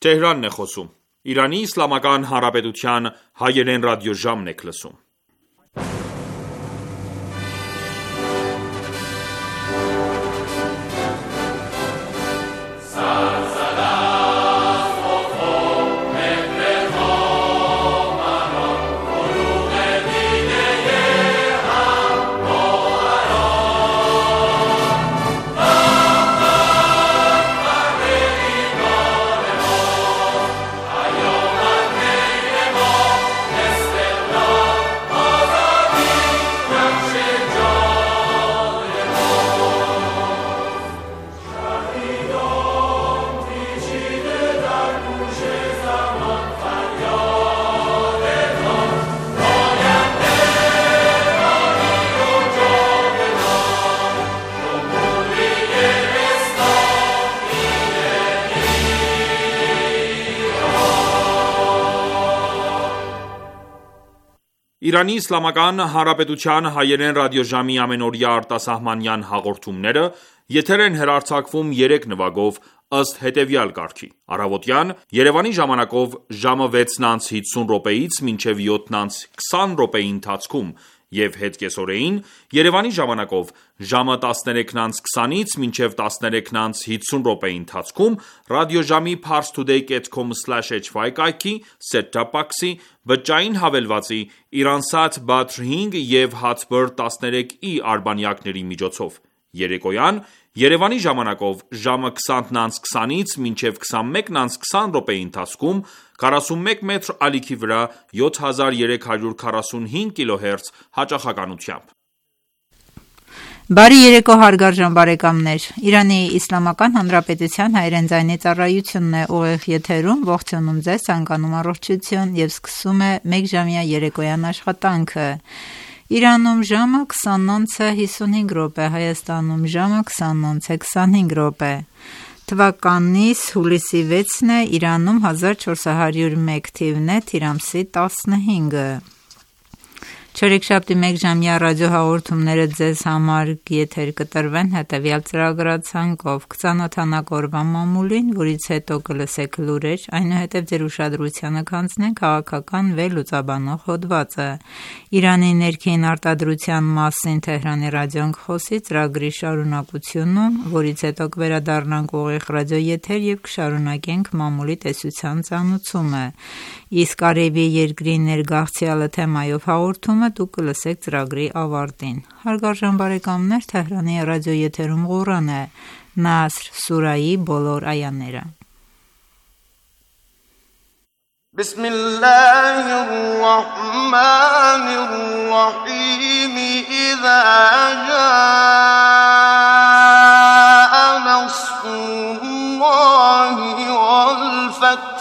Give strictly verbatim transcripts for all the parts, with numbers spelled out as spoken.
Թեհրանն է խոսում։ Իրանի Իսլամական Հանրապետության հայերեն ռադիոժամն եք լսում։ Իրանի Իսլամական Հանրապետության հայերեն ռադիոժամի ամենօրյա արտասահմանյան հաղորդումները եթեր են հեռարձակվում երեք նվագով ըստ հետևյալ կարգի. Առավոտյան Երևանի ժամանակով ժամը վեցն անց հիսուն րոպեից մինչև յոթն անց քսան րոպեի ընթացքում և հետկեսօրեին Երևանի ժամանակով ժամը տասներեքն անց քսանից մինչև տասներեքն անց հիսուն րոպեի ընթացքում ռադիոժամի parstoday dot com slash h y կայքի, set-top box-ի, բջջային հավելվածի, Iransat Badr հինգ և Hatbird տասներեք ի արբանյակների միջոցով։ Երեկոյան Երևանի ժամանակով ժամը քսանն անց քսանից մինչև քսանմեկն անց քսան րոպեի ընթացքում քառասունմեկ մետր ալիքի վրա յոթ հազար երեք հարյուր քառասունհինգ կիլոհերց հաճախականությամբ։ Բարի երեկո հարգարժան բարեկամներ, Իրանի Իսլամական Հանրապետության հայերեն ձայնի ծառայությունն է ուղիղ եթերում, ողջունում ձեզ, ցանկանում առողջություն և սկսում է մեկժամյա երեկոյան աշխատանքը։ Իրանում ժամը քսան անց է հիսունհինգ րոպե, Հայաստանում ժամը քսան անց է քսանհինգ րոպե։ Թվականիս հուլիսի վեցն է, Իրանում հազար չորս հարյուր մեկ թիվն է, թիր ամսի տասնհինգը։ Չորեքշաբթի մեկժամյա ռադիոհաղորդումները ձեզ համար եթեր կտրվեն հետևյալ ծրագրացանկով. Կծանոթանաք օրվա մամուլին, որից հետո կլսեք լուրեր, այնուհետև ձեր ուշադրությանը կանցնենք քաղաքական վերլուծաբանող հոդվածը, Իրանի ներքին արտադրության մասին Թեհրանի ռադիոն կխոսի ծրագրի շարունակությունում, որից հետո կվերադառնանք ուղիղ ռադիոեթեր և կշարունակենք մամուլի տեսության ծանուցումը, իսկ Արևի երկրի ներգաղթյալը թեմայով հաղորդումը դուք կլսեք ծրագրի ավարտին։ Հարգարժան բարեկամներ, Թեհրանի ռադիոեթերում Ղուրան է, Նասր սուրայի բոլոր այաները։ Բիսմիլլահիր ռահմանիր ռահիմ Իզա ջա'a նասրուլլահի վալ ֆաթհ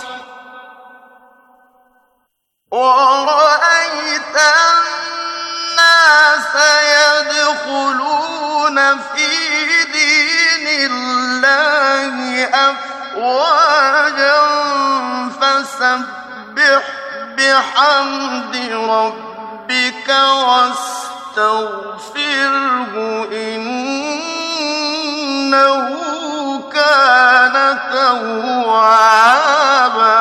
وَرَأَيْتَ النَّاسَ يَدْخُلُونَ فِي دِينِ اللَّهِ أَفْوَاجًا فَسَبِّحْ بِحَمْدِ رَبِّكَ وَاسْتَغْفِرْهُ إِنَّهُ كَانَ تَوَّابًا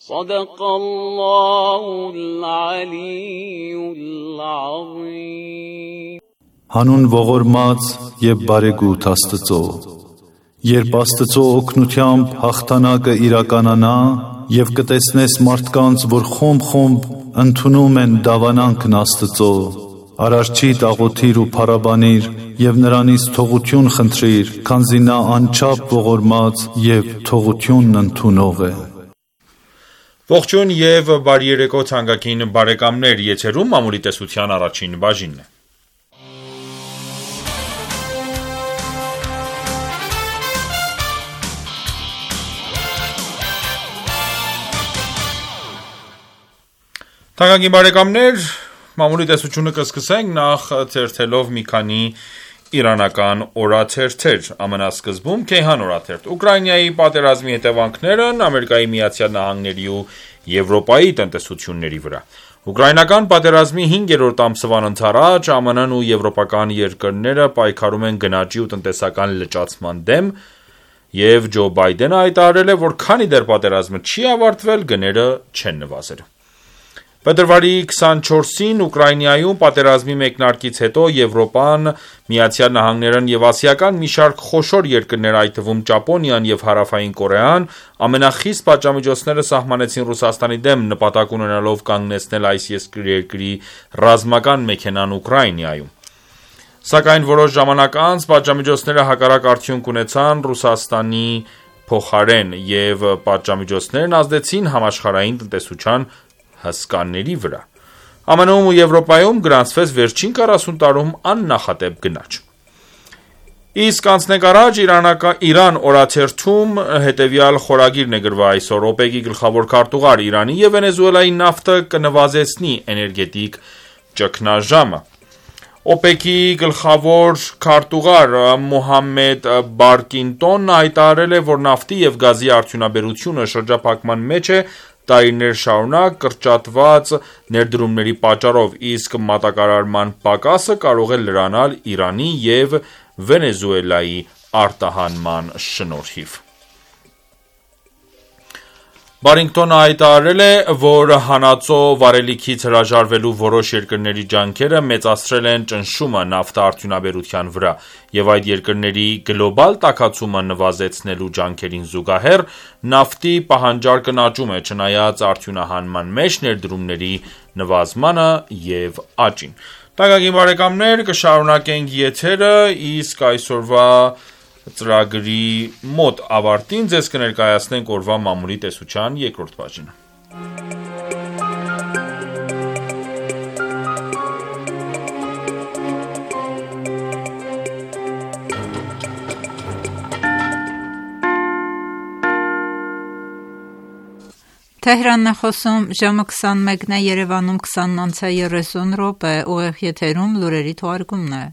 صدق الله العلي العظيم Հանուն ողորմած և բարեգութ Աստծո, երբ Աստծո օգնությամբ հաղթանակը իրականանա և կտեսնես մարդկանց, որ խումբ-խումբ ընդունում են դավանանքն Աստծո, Արարչիդ աղոթիր ու փառաբանիր և նրանից թողություն խնդրիր, քանզի նա անչափ ողորմած և թողությունն ընդունող է։ Ողջույն և բարի երեկո թանկագին բարեկամներ, եթերում մամուլի տեսության առաջին բաժինն է։ Թանկագին բարեկամներ, մամուլի տեսությունը կսկսենք նախ թերթելով մի քանի իրանական օրաթերթեր, ամենասկզբում Քեյհան օրաթերթ։ Ուկրաինայի պատերազմի հետևանքներն Ամերիկայի Միացյալ Նահանգների ու Եվրոպայի տնտեսությունների վրա։ Ուկրաինական պատերազմի հինգերորդ ամսվան ընթരാճ ԱՄՆ-ն ու եվրոպական երկրները պայքարում են գնաճի ու տնտեսական լճացման դեմ Եվ Ջո Բայդենը հայտարարել է, որ քանի դեռ պատերազմը չի ավարտվել, գները չեն նվազել։ Փետրվարի քսանչորսին Ուկրաինայում պատերազմի մեկնարկից հետո Եվրոպան, Միացյալ Նահանգներն եւ ասիական մի շարք խոշոր երկրներ, այդ թվում Ճապոնիան եւ Հարավային Կորեան, ամենախիստ պատժամիջոցները սահմանեցին Ռուսաստանի դեմ, նպատակ ունենալով կանգնեցնել այս երկրի ռազմական մեքենան Ուկրաինայում։ Սակայն որոշ ժամանակ անց պատժամիջոցները հակառակ արդյունք ունեցան Ռուսաստանի փոխարեն եւ պատժամիջոցներն ազդեցին համաշխարհային տնտեսության հսկաների վրա։ ԱՄՆ-ում ու Եվրոպայում գրանցվեց վերջին քառասուն տարում աննախադեպ գնաճ։ Իսկ անցնենք առաջ Իրան օրաթերթում հետևյալ խորագիրն է գրվել այսօր. օպեկի գլխավոր քարտուղար Իրանի եւ Վենեսուելայի նավթը կնվազեցնի էներգետիկ ճգնաժամը։ օպեկի գլխավոր քարտուղար Մոհամմեդ Բարկինտոնն հայտարարել է, որ նավթի եւ գազի արդյունաբերությունը շրջափակման մեջ է տարիներ շարունակ կրճատված ներդրումների պատճառով, իսկ մատակարարման պակասը կարող է լրանալ Իրանի եւ Վենեսուելայի արտահանման շնորհիվ։ Բարինգտոնը հայտարարել է, որ հանածո վարելիքից հրաժարվելու որոշ երկրների ջանքերը մեծացրել են ճնշումը նավթարդյունաբերության վրա, եւ այդ երկրների գլոբալ տաքացումը նվազեցնելու ջանքերին զուգահեռ նավթի պահանջարկն աճում է, չնայած արդյունահանման մեջ ներդրումների նվազմանը եւ աճին։ Տակագին բարեկամներ, կշարունակենք եթերը, իսկ այսօրվա ծրագրի մոտ ավարտին ձեզ կներկայացնենք օրվա մամուլի տեսության երկրորդ բաժինը։ Թեհրանն է խոսում, ժամը քսանմեկն է, Երևանում քսանն անց է երեսուն րոպե, ուղիղ եթերում լուրերի թողարկումն է։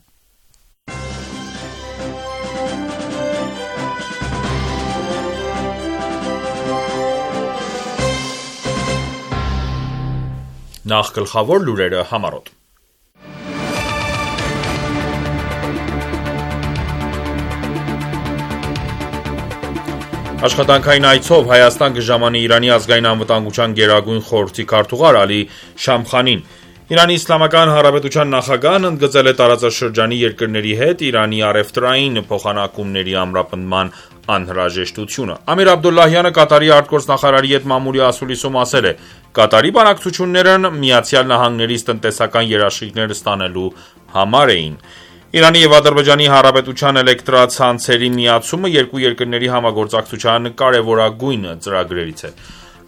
Նախ գլխավոր լուրերը համառոտ։ Աշխատանքային այցով Հայաստան կժամանի Իրանի ազգային անվտանգության գերագույն խորհրդի քարտուղար Ալի Շամխանին։ Իրանի Իսլամական Հանրապետության նախագահն ընդգծել է տարածաշրջանի երկրների հետ Իրանի առևտրային փոխանակումների ամրապնդման անհրաժեշտությունը։ Ամիր Աբդոլլահյանը Կատարի արտգործնախարարի հետ մամուլի ասուլիսում ասել է. Կատարի բանակցություններն Միացյալ Նահանգներից տնտեսական երաշխիքներ ստանալու համար էին։ Իրանի եւ Ադրբեջանի Հանրապետության էլեկտրացանցերի միացումը երկու երկրների համագործակցության կարևորագույն ծրագրերից է։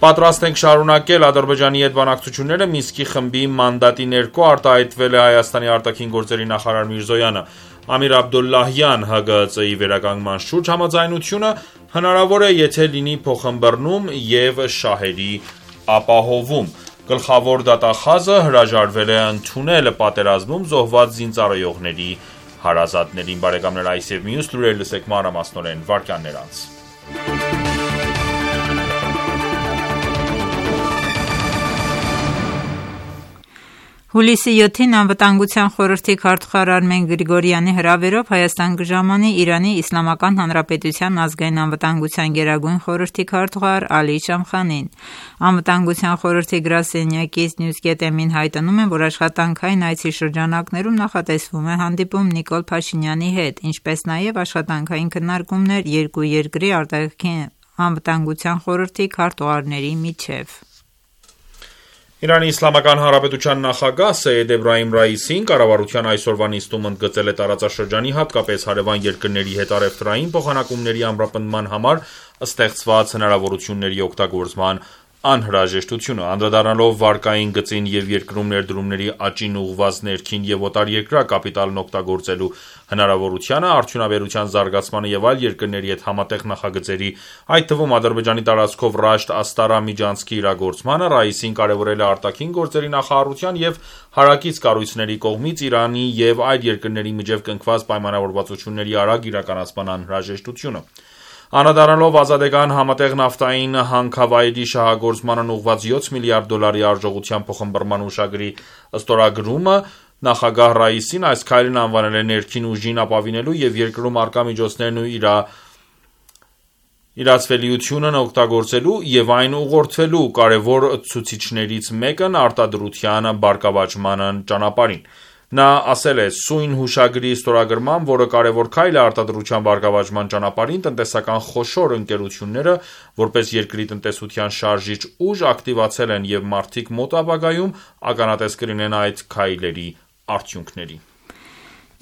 Պատրաստ ենք շարունակել Ադրբեջանի հետ բանակցությունները, Մինսկի խմբի մանդատի ներքո արտահայտվել է Հայաստանի արտաքին գործերի նախարար Միրզոյանը։ Ամիր Աբդոլլահյան Հ Գ Ծ ի վերականգնման շուրջ համաձայնությունը հնարավոր է, եթե լինի փոխըմբռնում եւ շահերի ապահովում։ Գլխավոր դատախազը հրաժարվել է ընդունել պատերազմում զոհված զինծառայողների հարազատներին։ Բարեկամներ, այս եւ մյուս լուրեր լսեք մանրամասնորեն վարքյաններ անց։ Հուլիսի յոթին Անվտանգության խորհրդի քարտուղար Արմեն Գրիգորյանի հրավերով Հայաստան կժամանի Իրանի Իսլամական Հանրապետության ազգային անվտանգության գերագույն խորհրդի քարտուղար Ալի Շամխանին։ Անվտանգության խորհրդի գրասենյակից Նյուզգետեմին հայտնում են, որ աշխատանքային այցի շրջանակներում նախատեսվում է հանդիպում Նիկոլ Փաշինյանի հետ, ինչպես նաև աշխատանքային քննարկումներ երկու երկրի արտաքին անվտանգության խորհրդի քարտուղարների միջև։ Իրանի Իսլամական Հանրապետության նախագահ Սեյեդ Էբրահիմ Ռայիսին կառավարության այսօրվա նիստում ընդգծել է տարածաշրջանի, հատկապես հարևան երկրների հետ առևտրային փոխանակումների ամրապնդման համար ստեղծված հնարավորությունների օգտագործման անհրաժեշտությունը, անդրադառնալով վարկային գծին եւ երկրում ներդրումների աճին ուղղված ներքին եւ օտարերկրյա կապիտալն օգտագործելու հնարավորությանը, արդյունաբերության զարգացմանը եւ այլ երկրների հետ համատեղ նախագծերի, այդ թվում Ադրբեջանի տարածքով Ռաշտ-Աստարա միջանցքի իրագործմանը, Ռայիսին կարևորել է արտաքին գործերի նախարարության եւ հարակից կառույցների կողմից Իրանի եւ այլ երկրների միջև կնքված պայմանավորվածությունների արագ իրականացման անհրաժեշտությունը։ Անդրադառնալով ազատական համատեղ նավթային հանքավայրի շահագործմանն ուղղված յոթ միլիարդ դոլարի արժողությամբ փոխըմբռնման հուշագրի ստորագրումը, նախագահ Ռայիսին այս քայլն անվանել է ներքին ուժին ապավինելու եւ երկրում առկա միջոցներն ու իրա իրացվելիությունն օգտագործելու և այն ուղղորդվելու կարևոր ցուցիչներից մեկն արտադրության բարգավաճման ճանապարհին: Նա ասել է. «Սույն հուշագրի ստորագրմամբ, որը կարևոր քայլ է արտադրության բարգավաճման ճանապարհին, տնտեսական խոշոր ընկերությունները, որպես երկրի տնտեսության շարժիչ ուժ, ակտիվացել են, և մարդիկ մոտ ապագայում ականատես կլինեն այդ քայլերի արդյունքների»: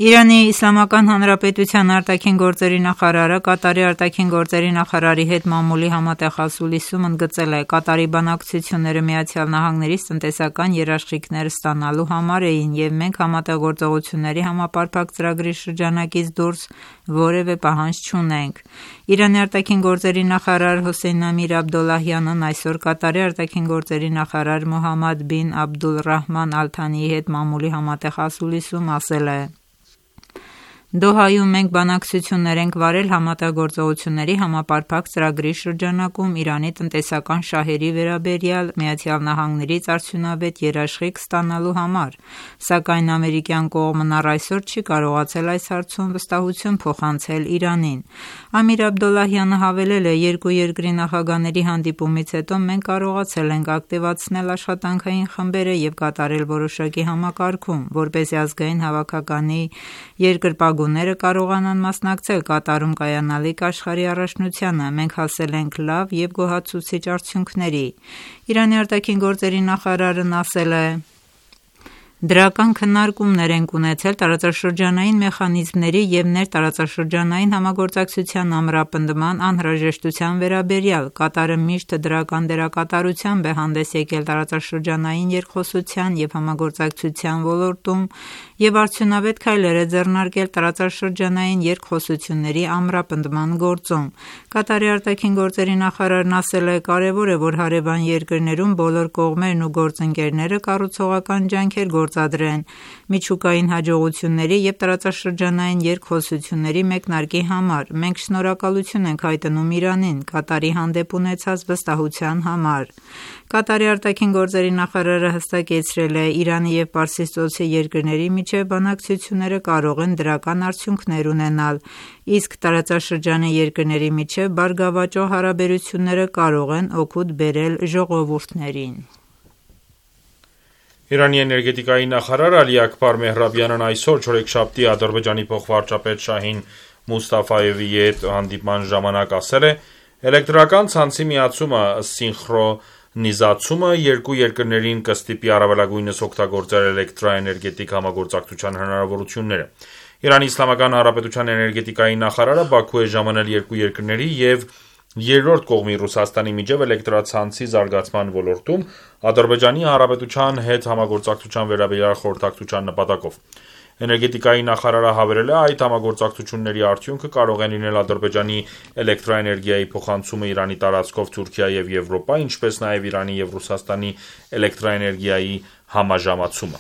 Իրանի Իսլամական Հանրապետության արտաքին գործերի նախարարը Կատարի արտաքին գործերի նախարարի հետ մամուլի համատեղ ասուլիսում ընդգծել է. «Կատարի բանակցությունները ԱՄՆ-ից տնտեսական երաշխիքներ ստանալու համար էին, և մենք համատեղ գործողությունների համապարփակ ծրագրի շրջանակից դուրս որևէ պահանջ չունենք»: Իրանի արտաքին գործերի նախարար Հոսեյն Ամիր Աբդոլլահյանն այսօր Կատարի արտաքին գործերի նախարար Մոհամմադ բին Աբդուլռահման Ալ Թանիի հետ մամուլի համատեղ ասուլիսում ասել է. «Դոհայում մենք բանակցություններ ենք վարել համատեղ գործողությունների համապարփակ ծրագրի շրջանակում Իրանի տնտեսական շահերի վերաբերյալ ԱՄՆ-ից արդյունավետ երաշխիք ստանալու համար, սակայն ամերիկյան կողմն առ այսօր չի կարողացել այս հարցում վստահություն փոխանցել Իրանին»: Ամիր Աբդոլլահյանը հավելել է. «Երկու երկրի նախագահների հանդիպումից հետո մենք կարողացել ենք ակտիվացնել աշխատանքային խմբերը և կատարել որոշակի համակարգում, որպեսզի ազգային հավաքականի երկրպագուները կարողանան մասնակցել Կատարում կայանալիք աշխարհի առաջնությանը: Մենք հասել ենք լավ և գոհացուցիչ արդյունքների»: Իրանի արտաքին գործերի նախարարն ասել է. «Դրական քննարկումներ ենք ունեցել տարածաշրջանային մեխանիզմների և ներտարածաշրջանային համագործակցության ամրապնդման անհրաժեշտության վերաբերյալ: Կատարը միշտ դրական դերակատարությամբ է հանդես եկել տարածաշրջանային երկխոսության և համագործակցության ոլորտում և արդյունավետ քայլեր է ձեռնարկել տարածաշրջանային երկխոսությունների ամրապնդման գործում»: Կատարի արտաքին գործերի նախարարն ասել է. «Կարևոր է, որ հարևան երկրներում բոլոր կողմերն ու գործընկերները կառուցողական ջանքեր գործադրեն միջուկային հաջողությունների և տարածաշրջանային երկխոսությունների մեկնարկի համար: Մենք շնորհակալություն ենք հայտնում Իրանին Կատարի հանդեպ ունեցած վստահության համար»: Կատարի արտաքին գործերի նախարարը հստակեցրել է. «Իրանի և Պարսից ծոցի երկրների միջև բանակցությունները կարող են դրական արդյունքներ ունենալ, իսկ տարածաշրջանի երկրների միջև բարգավաճող հարաբերությունները կարող են օգուտ բերել ժողովուրդներին»: Իրանի էներգետիկայի նախարար Ալի Աքբար Մեհրաբյանն այսօր չորեքշաբթի Ադրբեջանի փոխվարչապետ Շահին Մուստաֆայևի հետ հանդիպման ժամանակ ասել է. «Էլեկտրական ցանցի միացումը սինխրոնիզացումը երկու երկրներին կստիպի առավելագույնս օգտագործել էլեկտրաէներգետիկ համագործակցության հնարավորությունները»: Իրանի Իսլամական Հանրապետության էներգետիկայի նախարարը Բաքու է ժամանել երկու երկրների և երրորդ կողմի Ռուսաստանի միջև էլեկտրացանցի զարգացման ոլորտում Ադրբեջանի Հանրապետության հետ համագործակցության վերաբերյալ խորհրդակցության նպատակով: Էներգետիկայի նախարարը հավելել է. «Այդ համագործակցությունների արդյունքը կարող է լինել Ադրբեջանի էլեկտրաէներգիայի փոխանցումը Իրանի տարածքով Թուրքիա և Եվրոպա, ինչպես նաև Իրանի և Ռուսաստանի էլեկտրաէներգիայի համաժամացումը»: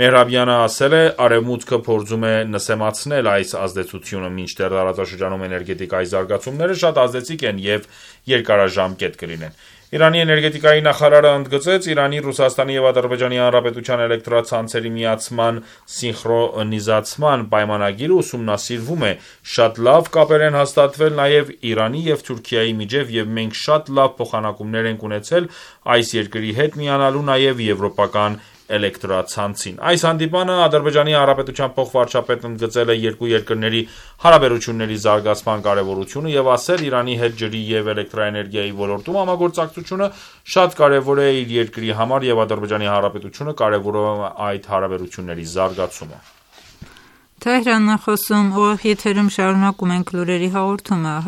Մեհրաբյանը ասել է. «Արևմուտքը փորձում է նսեմացնել այս ազդեցությունը, մինչդեռ տարածաշրջանում էներգետիկայի զարգացումները շատ ազդեցիկ են և երկարաժամկետ կլինեն»: Իրանի էներգետիկայի նախարարը ընդգծեց. «Իրանի, Ռուսաստանի և Ադրբեջանի Հանրապետության էլեկտրացանցերի միացման սինխրոնիզացման պայմանագիրը ուսումնասիրվում է: Շատ լավ կապեր են հաստատվել նաև Իրանի և Թուրքիայի միջև և մենք շատ լավ փոխանակումներ ենք ունեցել այս երկրի հետ միանալու նաև եվրոպական էլեկտրացանցին»: Այս հանդիպմանը Ադրբեջանի Հանրապետության փոխվարչապետն ընդգծել է երկու երկրների հարաբերությունների զարգացման կարևորությունը և ասել. «Իրանի հետ ջրի և էլեկտրաէներգիայի ոլորտում համագործակցությունը շատ կարևոր է իր երկրի համար և Ադրբեջանի Հանրապետությունը կարևորում է այդ հարաբերությունների զարգացումը»: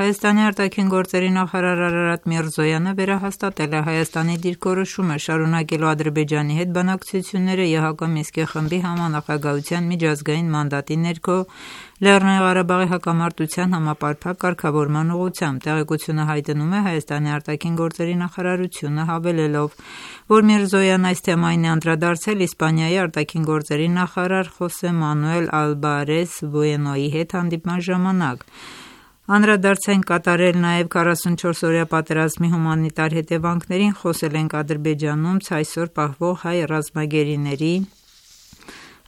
Հայաստանի արտաքին գործերի նախարար Արարատ Միրզոյանը վերահաստատել է Հայաստանի դիրքորոշումը շարունակելու Ադրբեջանի հետ բանակցությունները ԵՀԿ Մինսկի խմբի համանախագահության միջազգային մանդատի ներքո Լեռնային Ղարաբաղի հակամարտության համապարփակ կարգավորման ուղղությամբ: Տեղեկությունը հայտնում է Հայաստանի արտաքին գործերի նախարարությունը հավելելով, որ Միրզոյան այս թեմային է անդրադարձել Իսպանիայի արտաքին գործերի նախարար Խոսե Մանուել Ալբարես Բուենոյի հետ հանդիպման ժամանակ: «Անդրադարձ ենք կատարել նաև քառասունչորս օրյա պատերազմի հումանիտար հետևանքներին, խոսել ենք Ադրբեջանում ցայսօր պահվող հայ ռազմագերիների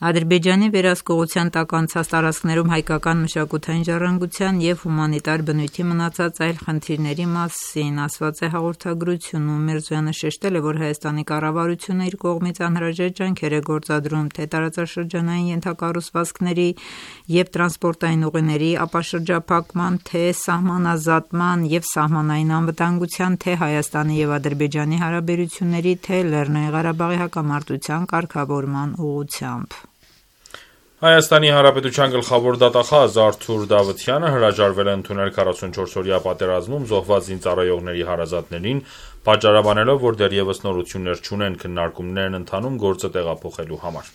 Ադրբեջանի վերահսկողության տակ անցած տարածքներում հայկական մշակութային ժառանգության և հումանիտար բնույթի մնացած այլ խնդիրների մասին ասված է հաղորդագրությունում։ Միրզոյանը շեշտել է, որ Հայաստանի կառավարությունը իր կողմից անհրաժեշտ ջանքեր է գործադրում թե տարածաշրջանային ենթակառուցվածքների և տրանսպորտային ուղիների ապաշրջափակման, թե սահմանազատման և սահմանային անվտանգության, թե Հայաստանի և Ադրբեջանի հարաբերությունների, թե Լեռնային Ղարաբաղի հակամարտության կարգավորման ուղղությամբ։ Հայաստանի Հանրապետության գլխավոր դատախազ Արթուր Դավթյանը հրաժարվել է ընդունել քառասունչորս-օրյա պատերազմում զոհված զինծառայողների հարազատներին, պատճառաբանելով, որ դեռևս նորություններ չունեն քննարկումներ են ընթանում գործը տեղափոխելու համար։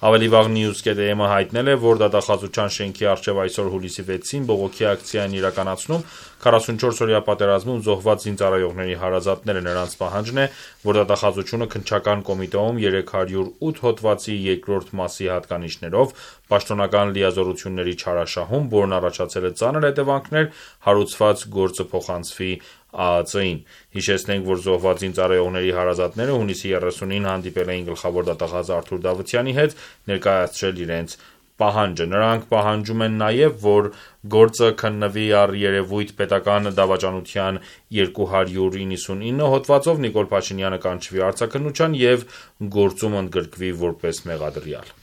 Ավելի վաղ News.am-ը հայտնել է, որ դատախազության շենքի առջև այսօր հուլիսի վեցին բողոքի ակցիա են իրականացնում քառասունչորս-օրյա պատերազմում զոհված զինծառայողների հարազատները։ Նրանց պահանջն է, որ դատախազությունը քննչական կոմիտեում երեք հարյուր ութ հոդվածի երկրորդ մասի հատկանիշներով պաշտոնական լիազորությունների չարաշահում, որն առաջացել է ծանր հետևանքներ հարուցված գործը փոխանցվի ԱԱԾ-ին։ Հիշեցնենք, որ զոհված զինծառայողների հարազատները հունիսի երեսունին հանդիպել էին գլխավոր դատախազ Արթուր Դավթյանի հետ, ներկայացրել իրենց պահանջը։ Նրանք պահանջում են նաև, որ գործը քննվի առ երևույթ պետական դավաճանության երկու հարյուր իննսունինը հոդվածով, Նիկոլ Փաշինյանը կանչվի արձագանության և գործում ընդգրկվի որպես մեղադրյալ։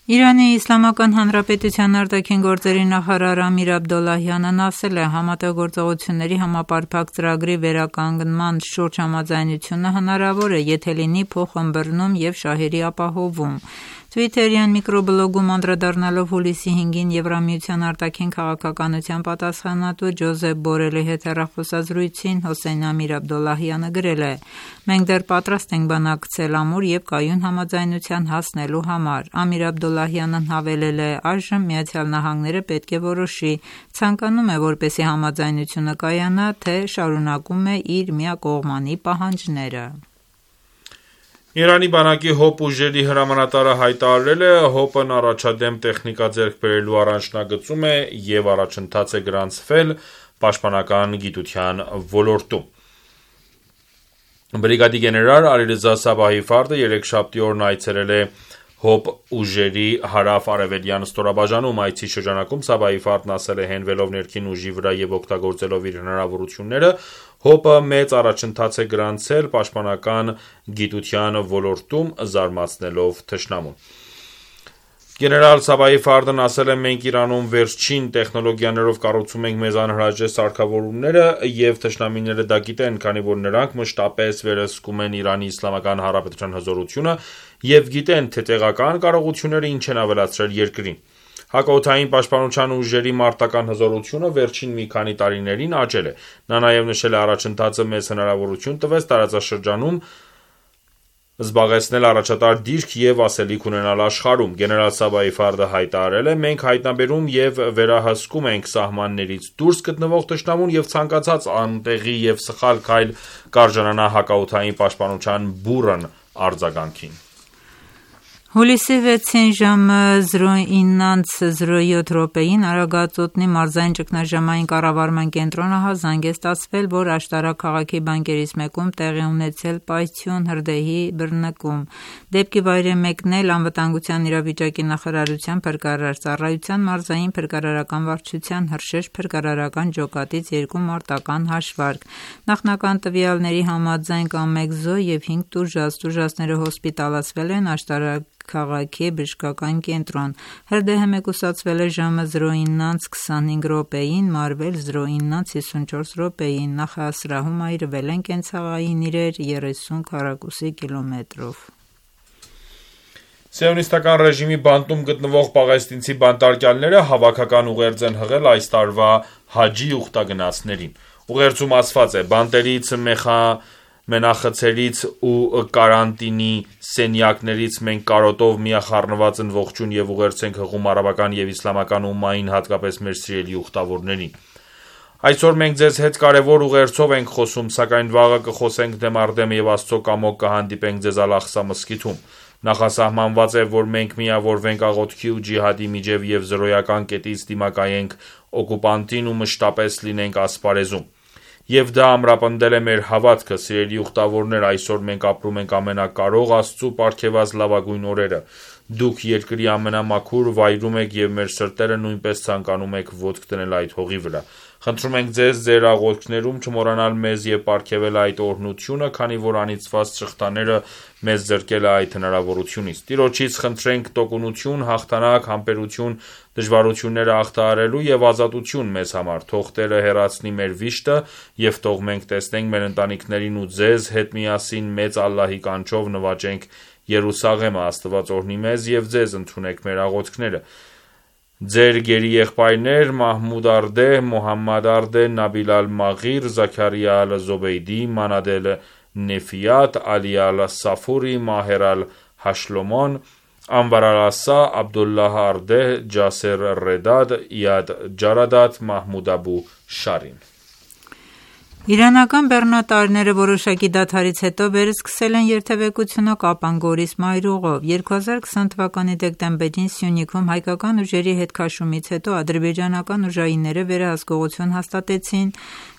Իրանի Իսլամական Հանրապետության արտաքին գործերի նախարար Ամիր Աբդոլլահյանն ասել է, համատեղ գործողությունների համապարփակ ծրագրի վերականգնման շուրջ համաձայնությունը հնարավոր է, եթե լինի փոխըմբռնում և շահերի ապահովում։ Twitter-յան միկրոբլոգում անդրադառնալով հուլիսի հինգին Եվրամիության արտաքին քաղաքականության պատասխանատու Ջոզեփ Բորելի հետ հեռախոսազրույցին Հոսեյն Ամիր Աբդոլլահյանը գրել է. «Մենք դեռ պատրաստ ենք բանակցել ամուր և կայուն համաձայնության հասնելու համար»։ Ամիր Աբդոլլահյանն հավելել է. «Այժմ Միացյալ Նահանգները պետք է որոշի, ցանկանում է, որպեսզի համաձայնությունը կայանա, թե շարունակում է իր միակողմանի պահանջները»։ Իրանի բանակի հոպ ուժերի հրամանատարը հայտարարել է, հոպն առաջադեմ տեխնիկա ձեռք բերելու առաջնագծում է և առաջընթաց է գրանցվել պաշտպանական գիտության ոլորտում։ Բրիգադի գեներալ Ալիրեզա Սաբահի Ֆարդը երեքշաբթի օրն այցելել է հոպ ուժերի հարավ-արևելյան ստորաբաժանում։ Այցի շրջանակում Սաբահի Ֆարդն ասել է, հենվելով ներքին ուժի վրա և օգտագործելով իր հնարավորությունները, հոպը մեծ առաջընթաց է գրանցել պաշտպանական գիտության ոլորտում, զարմացնելով թշնամուն։ Գեներալ Սաբահի Ֆարդն ասել է. «Մենք Իրանում վերջին տեխնոլոգիաներով կառուցում ենք մեզ անհրաժեշտ սարքավորումները, և թշնամիները դա գիտեն, քանի որ նրանք մշտապես վերահսկում են Իրանի Իսլամական Հանրապետության հզորությունը և գիտեն, թե տեղական կարողությունները ինչ են ավելացրել երկրին»։ Հակաօդային պաշտպանության ուժերի մարտական հզորությունը վերջին մի քանի տարիներին աճել է։ Նա նաև նշել է. «Առաջընթացը մեզ հնարավորություն տվեց տարածաշրջանում զբաղեցնել առաջատար դիրք և ասելիք ունենալ աշխարհում»։ Գեներալ Սաբահի Ֆարդը հայտարարել է. «Մենք հայտնաբերում և վերահսկում ենք սահմաններից դուրս գտնվող թշնամուն և ցանկացած անտեղի և սխալ քայլ կարժանանա հակաօդային պաշտպանության բուռն արձագանքին»։ Հուլիսի վեցին ժամը զրո ինը զրո յոթ րոպեին Արագածոտնի մարզային ճգնաժամային կառավարման կենտրոնը հազանգ է ստացվել, որ Աշտարակ քաղաքի բանկերից մեկում տեղի ունեցել պայթյուն հրդեհի բռնկում։ Դեպքի վայր է մեկնել անվտանգության իրավիճակի նախարարության փրկարար ծառայության մարզային փրկարարական վարչության հրշեջ փրկարարական ջոկատից երկու մարտական հաշվարկ։ Նախնական տվյալների համաձայն կա մեկ զոհ և հինգ տուժած։ Տուժածները հոսպիտալացվել են Աշտարակ քաղաքի բժշկական կենտրոն։ Հրդեհը մեկուսացվել է ժամը զրո ինը քսանհինգ րոպեին, մարվել զրո ինը հիսունչորս րոպեին։ Նախասրահում այրվել են կենցաղային իրեր երեսուն քառակուսի կիլոմետրով։ Սիոնիստական ռեժիմի բանտում գտնվող պաղեստինցի բանտարկյալները հավաքական ուղերձ են հղել այս տարվա հաջի ուխտագնացներին։ Ուղերձում ասված է. «Բանտերից, մենախցերից ու կարանտինի սենյակներից մենք կարոտով միախառնված են ողջույն և ուղերձ ենք հղում արաբական և իսլամական ումմային, հատկապես մեր սիրելի ուխտավորներին։ Այսօր մենք ձեզ հետ կարևոր ուղերձով ենք խոսում, սակայն վաղը կխոսենք դեմ առ դեմ և Աստծո կամոք կհանդիպենք ձեզ Ալ-Աղսա մզկիթում։ Նախասահմանված է, որ մենք միավորվենք աղոթքի ու ջիհադի միջև և զրոյական կետից դիմակայենք օկուպանտին ու մշտապես լինենք ասպարեզում։ Եվ դա ամրապնդել է մեր հավատքը, սիրելի ուխտավորներ, այսօր մենք ապրում ենք ամենակարող Աստծու պարգևած լավագույն օրերը։ Դուք երկրի ամենամաքուր վայրում եք և մեր սրտերը նույնպես ցանկանում եք ոտք դնել այդ հողի վրա: Խնդրում ենք ձեզ ձեր աղոթքներում չմոռանալ մեզ և պարգևել այդ օրհնությունը, քանի որ անիծված շղթաները մեզ զրկել է այդ հնարավորությունից: Տիրոջից խնդրենք տոկունություն, հաղթանակ, համբերություն դժվարությունները հաղթահարելու և ազատություն մեզ համար: Թող Տերը հեռացնի մեր վիշտը և թող մենք տեսնենք մեր ընտանիքներին ու ձեզ հետ միասին մեծ Ալլահի կանչով նվաճենք Երուսաղեմը: Աստված օրհնի մեզ և ձեզ: Ընդունեք մեր աղոթքները: Ձեր գերի եղբայրներ Մահմուդ Արդե, Մոհամմադ Արդե, Նաբիլ Ալ-Մաղիր, Զաքարիա Ալ-Զոբեյդի, Մանադ Էլ-Նեֆիաթ, Ալի Ալ-Սաֆուրի, Մահեր Ալ-Հաշլոմոն, Անվար Ալ-Ասա, Աբդուլլահ Արդե, Ջասեր Ռեդադ, Իադ Ջարադատ, Մահմուդ Աբու Շարին: Իրանական բեռնատարները որոշակի դադարից հետո վերսկսել են երթևեկությունը Կապան գորիս մայրուղով: երկու հազար քսան թվականի դեկտեմբերին Սյունիքում հայկական ուժերի հետ քաշումից հետո ադրբեջանական ուժայինները վերահսկողություն հաստատեցին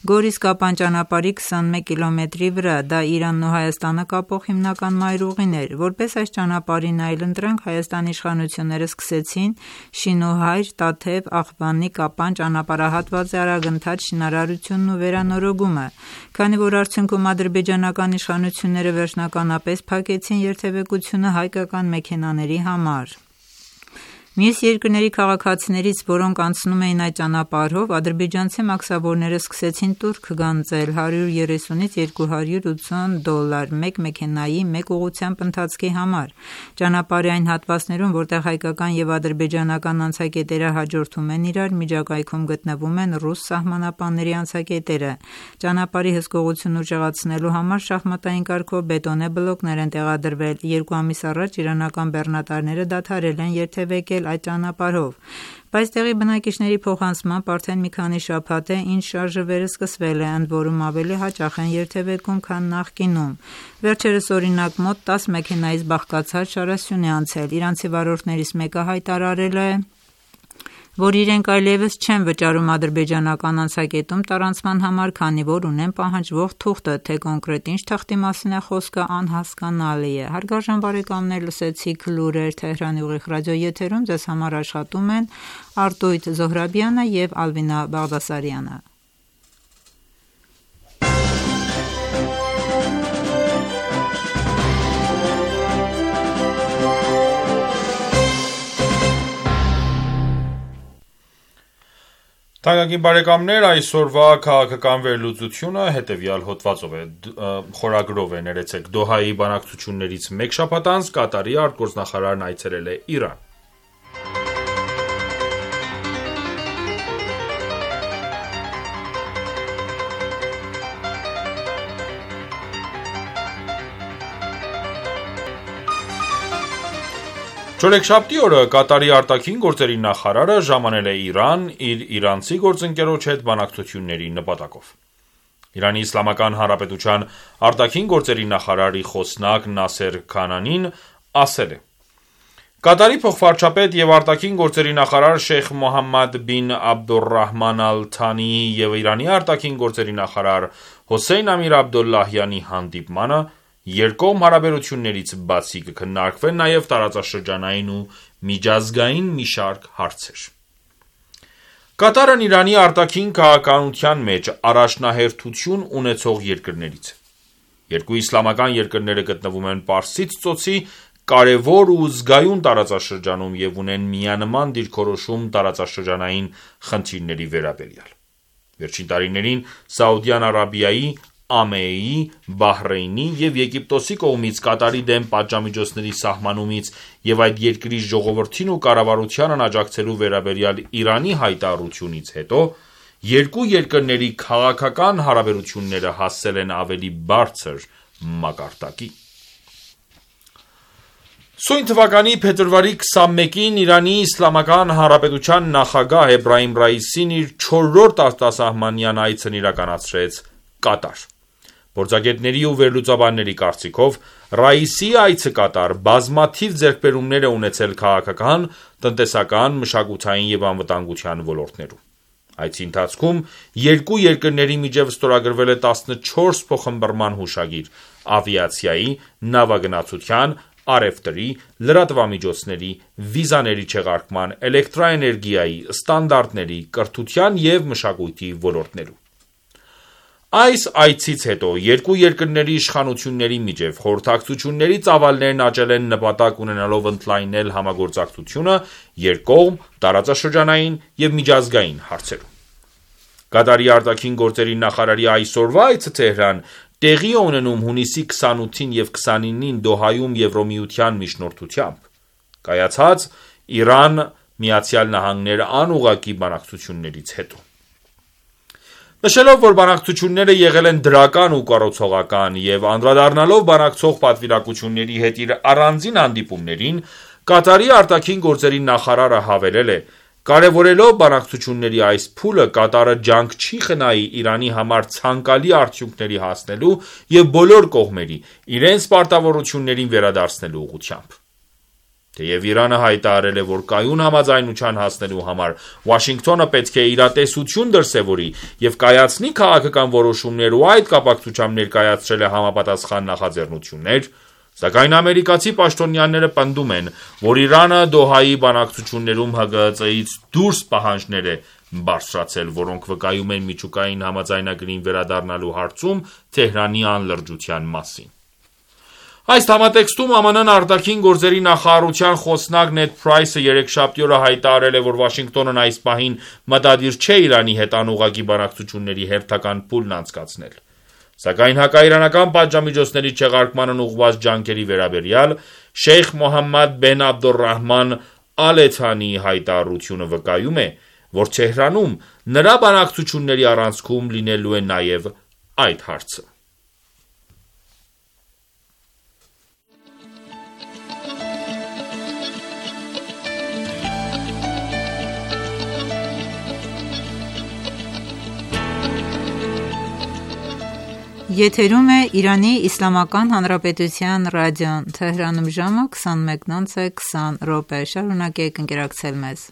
Գորիս-Կապան ճանապարհի քսանմեկ կիլոմետրի վրա: Դա Իրանն ու Հայաստանը կապող հիմնական մայրուղին էր: Որպես այս ճանապարհին այլընտրանք Հայաստանի իշխանությունները սկսեցին Շինուհայր, Տաթև, Աղվանի, Կապան ճանապարհահատվածի արագընթաց շինարարությունն ու վերանորոգումը: Քանի որ արդյունքում ադրբեջանական իշխանությունները վերջնականապես փակեցին երթևեկությունը հայկական մեքենաների համար: Մյուս երկրների քաղաքացիներից, որոնք անցնում էին այդ ճանապարհով, ադրբեջանցի մաքսավորները սկսեցին տուրք գանձել հարյուր երեսունից երկու հարյուր ութսուն դոլար մեկ մեքենայի մեկ ուղղությամբ ընթացքի համար: Ճանապարհի այն հատվածներում, որտեղ հայկական և ադրբեջանական անցակետերը հաջորդում են իրար, միջակայքում գտնվում են ռուս սահմանապանների անցակետերը: Ճանապարհի հսկողությունն ուժեղացնելու համար շախմատային կարգով բետոնե բլոկներ են տեղադրվել: Երկու ամիս առաջ իրանական բեռնատարները դադարել են երթևեկել այդ ճանապարհով: Բայց տեղի բնակիչների փոխանցմամբ արդեն մի քանի շաբաթ է ինչ շարժը վերսկսվել է, ընդորում ավելի հաճախ են երթևեկում, քան նախկինում: Վերջերս օրինակ մոտ տաս մեքենայից բաղկացած շարասյուն է անցել: Իրանցի վարորդներից մեկը հայտարարել է, որ իրենք այլևս չեն վճարում ադրբեջանական անցակետում տարանցման համար, քանի որ ունեն պահանջվող թուղթը: Թե կոնկրետ ինչ թղթի մասին է խոսքը անհասկանալի է: Հարգարժան բարեկամներ լսեցիք լուրեր Թեհրանի ուղիղ ռադիոեթերում: Ձեզ համար աշխատում են Արտույտ Զոհրաբյանը և Ալվինա Բաղդասարյանը: Այսօրվա քաղաքական վերլուծությունը հետևյալ խորագրով է. Դոհայի բանակցություններից մեկ շաբաթ անց Կատարի արտգործնախարարն այցելել է Իրան: Չորեքշաբթի օրը Կատարի արտաքին գործերի նախարարը ժամանել է Իրան՝ իր իրանցի գործընկերոջ հետ բանակցությունների նպատակով: ԻԻՀ արտաքին գործերի նախարարի խոսնակ Նասեր Քանանին ասել է. «Կատարի փոխվարչապետ և արտաքին գործերի նախարար Շեյխ Մոհամմադ բին Աբդոլռահման Ալ Թանիի և Իրանի արտաքին գործերի նախարար Հոսեյն Ամիր Աբդոլլահյանի հանդիպմանը երկկողմ հարաբերություններից բացի կքննարկվեն նաև տարածաշրջանային ու միջազգային մի շարք հարցեր: Կատարն Իրանի արտաքին քաղաքականության մեջ առաջնահերթություն ունեցող երկրներից է: Երկու իսլամական երկրները գտնվում են Պարսից ծոցի կարևոր ու զգայուն տարածաշրջանում և ունեն միանման դիրքորոշում տարածաշրջանային խնդիրների վերաբերյալ: Վերջին տարիներին Սաուդյան Արաբիայի, ԱՄԷ-ի, Բահրեյնի և Եգիպտոսի կողմից Կատարի դեմ պատժամիջոցների սահմանումից և այդ երկրի ժողովրդին ու կառավարությանն աջակցելու վերաբերյալ Իրանի հայտարարությունից հետո երկու երկրների քաղաքական հարաբերությունները հասել են ավելի բարձր մակարդակի: Սույն թվականի փետրվարի քսանմեկին ԻԻՀ նախագահ Էբրահիմ Ռայիսին իր չորրորդ արտասահմանյան այցն իրականացրեց Կատար: Փորձագետների ու վերլուծաբանների կարծիքով Ռայիսի այցը Կատար բազմաթիվ ձեռքբերումներ է ունեցել քաղաքական, տնտեսական, մշակութային և անվտանգության ոլորտներում: Այցի ընթացքում երկու երկրների միջև ստորագրվել է տասնչորս փոխըմբռնման հուշագիր՝ ավիացիայի, նավագնացության, առևտրի, լրատվամիջոցների, վիզաների չեղարկման, էլեկտրաէներգիայի, ստանդարտների, կրթության և մշակույթի ոլորտներում։ Այս այցից հետո երկու երկրների իշխանությունների միջև խորհրդակցությունների ծավալներն աճել են նպատակ ունենալով ընդլայնել համագործակցությունը երկկողմ, տարածաշրջանային և միջազգային հարցերում։ Կատարի արտաքին գործերի նախարարի այսօրվա այցը Թեհրան տեղի է ունենում հունիսի քսանութին և քսանինին Դոհայում Եվրամիության միջնորդությամբ կայացած Իրան-Միացյալ Նահանգներ անուղղակի բանակցություններից հետո։ Նշելով, որ բանակցությունները եղել են դրական ու կառուցողական և անդրադառնալով բանակցող պատվիրակությունների հետ իր առանձին հանդիպումներին, Կատարի արտաքին գործերի նախարարը հավելել է. «Կարևորելով բանակցությունների այս փուլը, Կատարը ջանք չի խնայի Իրանի համար ցանկալի արդյունքների հասնելու և բոլոր կողմերի իրենց պարտավորություններին վերադարձնելու ուղղությամբ»։ Թեև Իրանը հայտարարել է, որ կայուն համաձայնության հասնելու համար Վաշինգտոնը պետք է իրատեսություն դրսևորի և կայացնի քաղաքական որոշումներ ու այդ կապակցությամբ ներկայացրել է համապատասխան նախաձեռնություններ, սակայն ամերիկացի պաշտոնյաները պնդում են, որ Իրանը Դոհայի բանակցություններում ՀԳՀԾ-ից դուրս պահանջներ է բարձրացրել, որոնք վկայում են միջուկային համաձայնագրին վերադառնալու հարցում Թեհրանի անլրջության մասին։ Այս համատեքստում ԱՄՆ արտաքին գործերի նախարարության խոսնակ Նեդ Փրայսը երեքշաբթի օրը հայտարարել է, որ Վաշինգտոնն այս պահին մտադիր չէ Իրանի հետ անուղղակի բանակցությունների հերթական փուլն անցկացնել։ Սակայն հակաիրանական պատժամիջոցների չեղարկմանն ուղղված ջանքերի վերաբերյալ Շեյխ Մոհամմադ բեն Աբդոլռահման Ալ Թանիի հայտարարությունը վկայում է, որ Թեհրանում նրա բանակցությունների առանցքում լինելու է նաև այդ հարցը։ Եթերում է Իրանի Իսլամական Հանրապետության ռադիոն, Թեհրանում ժամը քսանմեկն անց է քսան րոպե, շարունակեք ընկերակցել մեզ։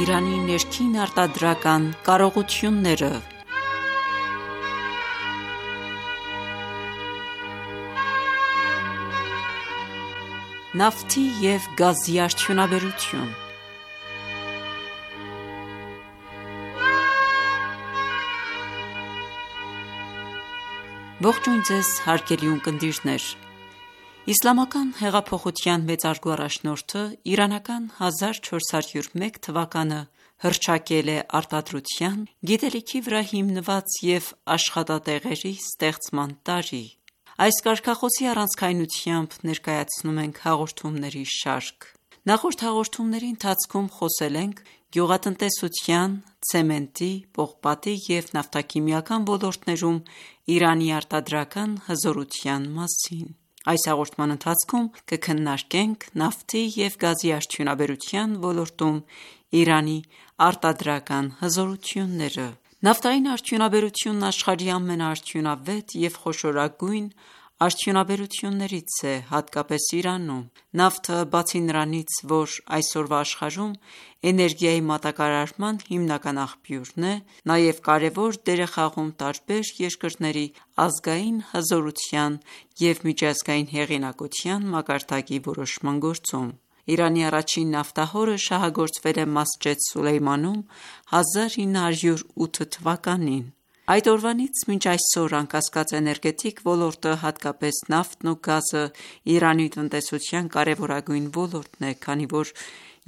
Իրանի ներքին արտադրական կարողությունները։ Նավթի և գազի արդյունաբերություն։ Ողջույն ձեզ հարգելի ունկնդիրներ։ Իսլամական հեղափոխության մեծարգո առաջնորդը իրանական հազար չորս հարյուր մեկ թվականը հռչակել է արտադրության, գիտելիքի վրա հիմնված և աշխատատեղերի ստեղծման տարի։ Այս կարգախոսի առանցքայնությամբ ներկայացնում ենք հաղորդումների շարք։ Նախորդ հաղորդումների ընթացքում խոսել ենք գյուղատնտեսության, ցեմենտի, պողպատի և նավթաքիմիական ոլորտներում Իրանի արտադրական հզորության մասին։ Այս հաղորդման ընթացքում կքննարկենք նավթի և գազի արդյունաբերության ոլորտում Իրանի արտադրական հզորությունները։ Նավթային արդյունաբերությունն աշխարհի ամենաարդյունավետ և խոշորագույն արդյունաբերություններից է, հատկապես Իրանում։ Նավթը, բացի նրանից, որ այսօրվա աշխարհում էներգիայի մատակարարման հիմնական աղբյուրն է, նաև կարևոր դեր է խաղում տարբեր երկրների ազգային հզորության և միջազգային հեղինակության մակարդակի որոշման գործում։ Իրանի առաջին նավթահորը շահագործվել է Մասջեդ Սուլեյմանում հազար ինը հարյուր ութ թվականին։ Այդ օրվանից մինչ այսօր անկասկած էներգետիկ ոլորտը, հատկապես նավթն ու գազը, Իրանի տնտեսության կարևորագույն ոլորտն է, քանի որ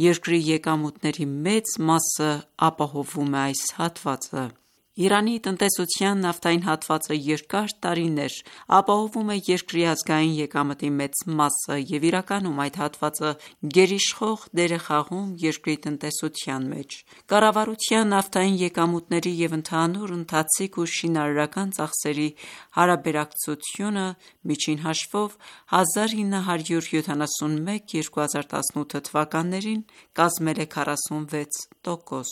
երկրի եկամուտների մեծ մասը ապահովում է այս հատվածը։ Իրանի տնտեսության նավթային հատվածը երկար տարիներ ապահովում է երկրի ազգային եկամտի մեծ մասը և իրականում այդ հատվածը գերիշխող դեր է խաղում երկրի տնտեսության մեջ։ Կառավարության նավթային եկամուտների և ընդհանուր ընթացիկ ու շինարարական ծախսերի հարաբերակցությունը միջին հաշվով հազար ինը հարյուր յոթանասունմեկ - երկու հազար տասնութ թվականներին կազմել է քառասունվեց տոկոս։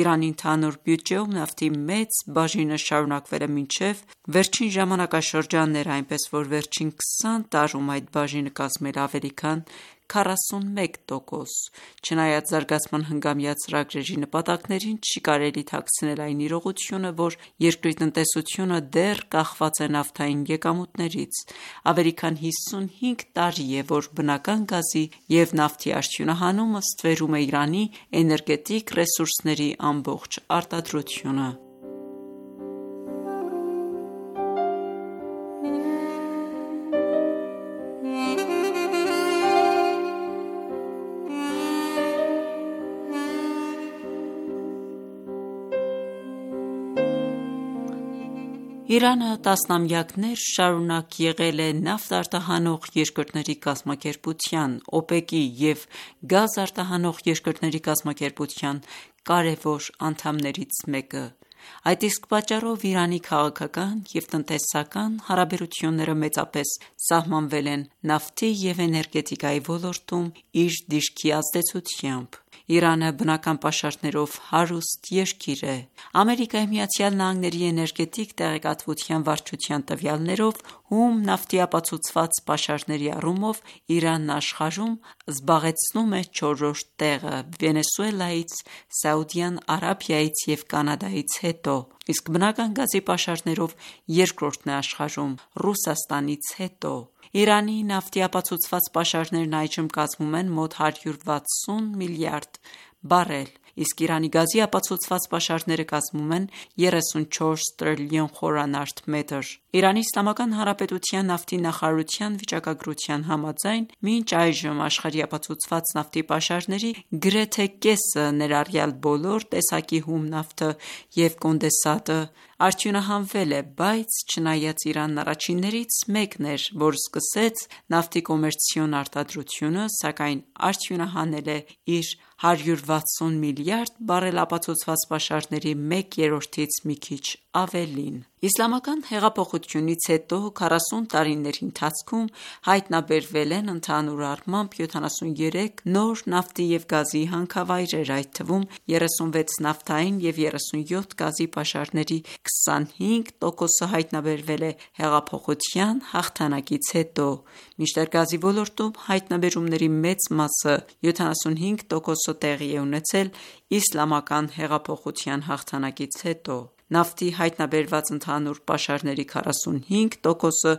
Իրանի ընդհանուր բյուջեում նավթի մեծ բաժինը շարունակվել է մինչև վերջին ժամանակաշրջանները, այնպես որ վերջին քսան տարում այդ բաժինը կազմել է ավելի քան քառասունմեկ տոկոս: Չնայած զարգացման հնգամյա ծրագրերի նպատակներին, չի կարելի թաքցնել այն իրողությունը, որ երկրի տնտեսությունը դեռ կախված է նավթային եկամուտներից: Ավելի քան հիսունհինգ տարի է, որ բնական գազի և նավթի արդյունահանումը ստվերում է Իրանի էներգետիկ ռեսուրսների ամբողջ արտադրությունը: Իրանը տասնամյակներ շարունակ եղել է նավթ արտահանող երկրների կազմակերպության (օպեկի) և գազ արտահանող երկրների կազմակերպության կարևոր անդամներից մեկը: Այդ իսկ պատճառով Իրանի քաղաքական և տնտեսական հարաբերությունները մեծապես սահմանվել են նավթի և էներգետիկայի ոլորտում իր դիրքի ազդեցությամբ: Իրանը բնական պաշարներով հարուստ երկիր է: ԱՄՆ-ի էներգետիկ տեղեկատվության վարչության տվյալներով, հում նավթի ապացուցված պաշարների առումով Իրանն աշխարհում զբաղեցնում է չորրորդ տեղը Վենեսուելայից, Սաուդյան Արաբիայից և Կանադայից հետո, իսկ բնական գազի պաշարներով երկրորդն է աշխարհում Ռուսաստանից հետո: Իրանի նավթի ապացուցված պաշարներն այժմ կազմում են մոտ հարյուր վաթսուն միլիարդ բարել, իսկ Իրանի գազի ապացուցված պաշարները կազմում են երեսունչորս տրիլիոն խմ: Իրանի Իսլամական Հանրապետության նավթի նախարարության վիճակագրության համաձայն, մինչ այժմ աշխարհի ապացուցված նավթի պաշարների գրեթե կեսը, ներառյալ բոլոր տեսակի հում նավթը և կոնդենսատը, արդյունահանվել է, բայց չնայած Իրանն առաջիններից մեկն էր, որ սկսեց նավթի կոմերցիոն արտադրությունը, սակայն արդյունահանել է իր հարյուր վաթսուն միլիարդ բարել ապացուցված պաշարների մեկ երրորդից մի քիչ ավելին: Իսլամական հեղափոխությունից հետո քառասուն տարիների ընթացքում հայտնաբերվել են ընդհանուր առմամբ յոթանասունյոթ նոր նավթի և գազի հանքավայրեր, այդ թվում երեսունվեց նավթային և երեսունյոթ գազի պաշարների քսանհինգ տոկոսը հայտնաբերվել է հեղափոխության հաղթանակից հետո, մինչդեռ գազի ոլորտում հայտնաբերումների մեծ մասը յոթանասունհինգ տոկոսը տեղի է ունեցել իսլամական հեղափոխության հաղթանակից հետո: Նավթի հայտնաբերված ընդհանուր պաշարների քառասունհինգ տոկոսը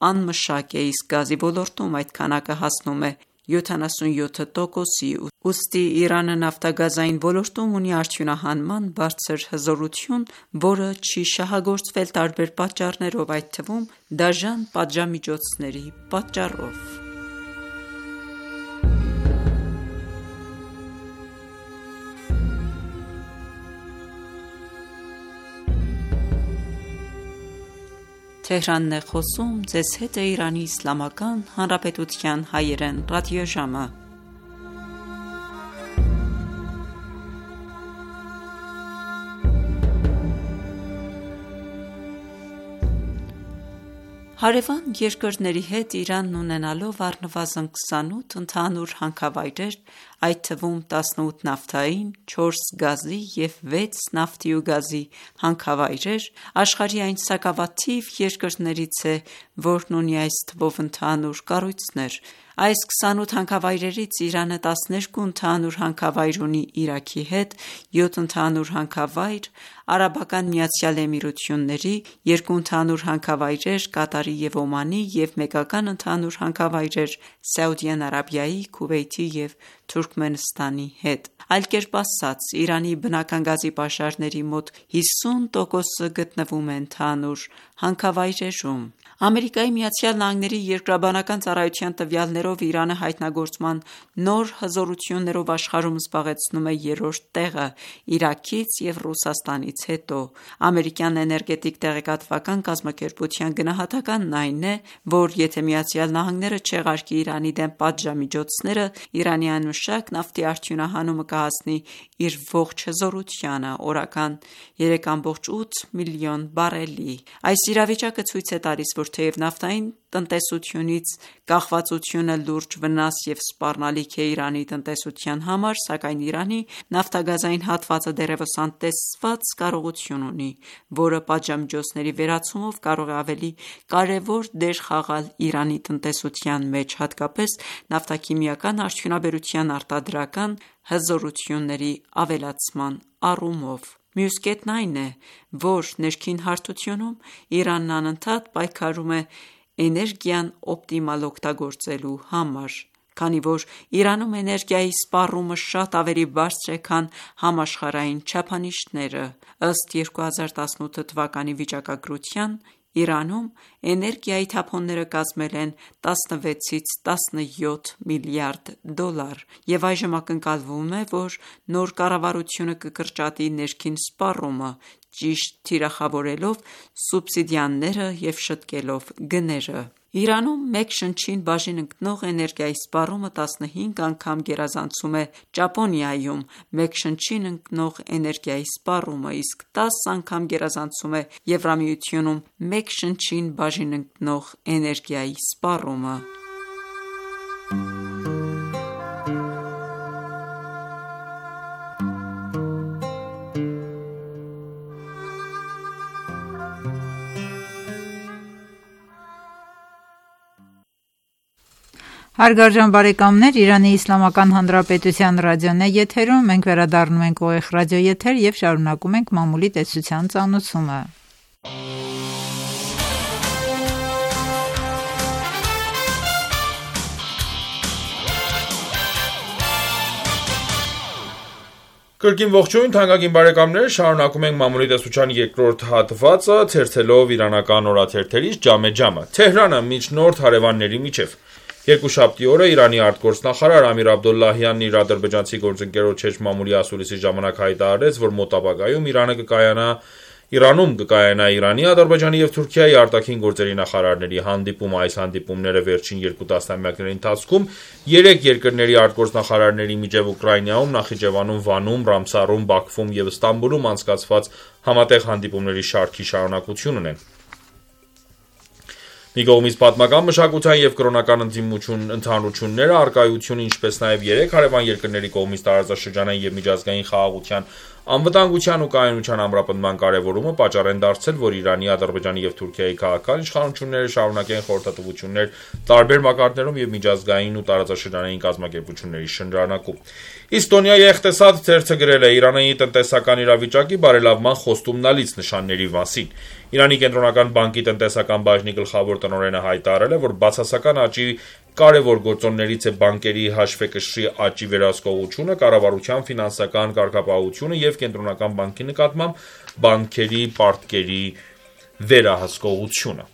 անմշակ է, իսկ գազի ոլորտում այդ քանակը հասնում է յոթանասունյոթ տոկոսի: Ուստի Իրանը նավթագազային ոլորտում ունի արդյունահանման բարձր հզորություն, որը չի շահագործվել տարբեր պատճառներով, այդ թվում դաժան պատժամիջոցների պատճառով: Հարևան երկրների հետ Իրանն ունենալով առնվազն քսանութ ընդհանուր հանքավայրեր, այդ թվում տասնութ նավթային, չորս գազի և վեց նավթի ու գազի հանքավայրեր, աշխարհի այն սակավաթիվ երկրներից է, որն ունի այս թվով ընդհանուր կառույցներ: Այս քսանութ հանքավայրերից Իրանը տասներկու ընդհանուր հանքավայր ունի Իրաքի հետ, յոթ ընդհանուր հանքավայր Արաբական Միացյալ Էմիրությունների, երկու ընդհանուր հանքավայրեր Կատարի և Օմանի և մեկական ընդհանուր հանքավայրեր Սաուդյան Արաբիայի, Քուվեյթի և Թուրքմենստանի հետ: Այլ կերպ ասած, Իրանի բնական գազի պաշարների մոտ հիսուն տոկոսը գտնվում է ընդհանուր հանքավայրերում: ԱՄՆ-ի երկրաբանական ծառայության տվյալներով Իրանը հայտնագործման նոր հզորություններով աշխարհում զբաղեցնում է երրորդ տեղը Իրաքից և Ռուսաստանից հետո: Ամերիկյան էներգետիկ տեղեկատվական կազմակերպության գնահատականն այն է, որ եթե ԱՄՆ-ը չեղարկի Իրանի դեմ պատժամիջոցները, Իրանի անմշակ Միակ նավթի արդյունահանումը կհասնի իր ողջ հզորությանը՝ օրական երեք կόμ ութ միլիոն բարելի։ Այս իրավիճակը ցույց է տալիս, որ թեև նավթային տնտեսությունից կախվածությունը լուրջ վնաս և սպառնալիք է Իրանի տնտեսության համար, սակայն Իրանի նավթագազային հատվածը դեռևս անտեսված կարողություն ունի, որը պատժամիջոցների վերացումով կարող է ավելի կարևոր դեր խաղալ Իրանի տնտեսության մեջ, հատկապես նավթաքիմիական արդյունաբերության արտադրական հզորությունների ավելացման առումով։ Մյուս կետն այն է, որ ներքին հարթությունում Իրանն անընդհատ պայքարում է էներգիան օպտիմալ օգտագործելու համար, քանի որ Իրանում էներգիայի սպառումը շատ ավելի բարձր է, քան համաշխարհային չափանիշները։ Ըստ երկու հազար տասնութ թվականի վիճակագրության, Իրանում էներգիայի թափոնները կազմել են տասնվեցից տասնյոթ միլիարդ դոլար, և այժմ ակնկալվում է, որ նոր կառավարությունը կկրճատի ներքին սպառումը՝ ճիշտ թիրախավորելով սուբսիդիաները և շտկելով գները։ Իրանում մեկ շնչին բաժին ընկնող էներգիայի սպառումը տասնհինգ անգամ գերազանցում է Ճապոնիայում մեկ շնչին ընկնող էներգիայի սպառումը, իսկ տասը անգամ գերազանցում է Եվրամիությունում մեկ շնչին բաժին ընկնող էներգիայի սպառումը։ Հարգարժան բարեկամներ, Իրանի Իսլամական Հանրապետության ռադիոն է եթերում, մենք վերադառնում ենք ուղիղ ռադիոեթեր և շարունակում ենք մամուլի տեսության ծանոթումը։ Կրկին ողջույն, թանկագին բարեկամներ, շարունակում ենք մամուլի տեսության երկրորդ հատվածը, թերթելով իրանական օրաթերթերից ջամե ջամը։ Թեհրանը միջնորդ հարևանների միջև։ Երկուշաբթի օրը Իրանի արտգործնախարար Ամիր Աբդոլլահյանն իր ադրբեջանցի գործընկերոջ հետ մամուլի ասուլիսի ժամանակ հայտարարեց, որ մոտ ապագայում Իրանը կկայանա Իրանում կկայանա Իրանի, Ադրբեջանի և Թուրքիայի արտաքին գործերի նախարարների հանդիպում։ Այս հանդիպումները վերջին երկու տասնամյակների ընթացքում երեք երկրների արտգործնախարարների միջև Ուկրաինայում, Նախիջևանում, Վանում, Ռամսարում, Բաքվում և Ստամբուլում անցկացված համատեղ հանդիպումների շարքի շարունակությունն են։ Մի կողմից պատմական, մշակութային և կրոնական ընդհանրությունները, առկայությունը, ինչպես նաև երեք հարևան երկրների կողմից տարածաշրջանային և միջազգային խաղաղության, անվտանգության ու կայունության ամրապնդման կարևորումը պատճառ են դարձել, որ Իրանի, Ադրբեջանի և Թուրքիայի քաղաքական իշխանությունները շարունակեն խորհրդատվություններ տարբեր մակարդակներում և միջազգային ու տարածաշրջանային կազմակերպությունների շրջանակում։ Իստոնիայի Էխտեսադ թերթը գրել է Իրանի տնտեսական իրավիճակի բարելավման խոստումնալից նշանների մասին։ Իրանի կենտրոնական բանկի տնտեսական բաժնի գլխավոր տնօրենը հայտարարել է, որ բացասական աճի կարևոր գործոններից է բանկերի հաշվեկշռի աճի վերահսկողությունը, կառավարության ֆինանսական կարգապահությունը և կենտրոնական բանկի նկատմամբ բանկերի պարտքերի վերահսկողությունը։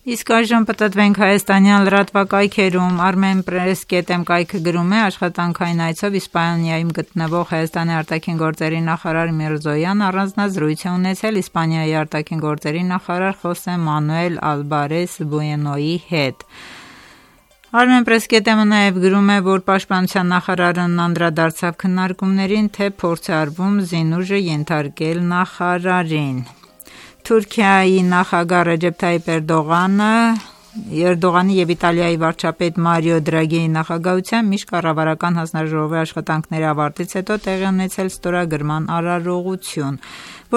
Իսկ այժմ պտտվենք հայաստանյան լրատվակայքերում։ Armenpress.am կայքը գրում է. աշխատանքային այցով Իսպանիայում գտնվող Հայաստանի արտաքին գործերի նախարար Միրզոյան առանձնազրույց է ունեցել Իսպանիայի արտաքին գործերի նախարար Խոսե Մանուել Ալբարես Բուենոյի հետ։ Armenpress.am-ը նաև գրում է, որ պաշտպանության նախարարն անդրադարձավ քննարկումներին, թե փորձ է արվում զինուժը ենթարկել նախարարին։ Թուրքիայի նախագահ Ռեջեփ Թայիփ Էրդողանը Էրդողանի և Իտալիայի վարչապետ Մարիո Դրագիի նախագահությամբ միջկառավարական հանձնաժողովի աշխատանքների ավարտից հետո տեղի ունեցել ստորագրման արարողություն,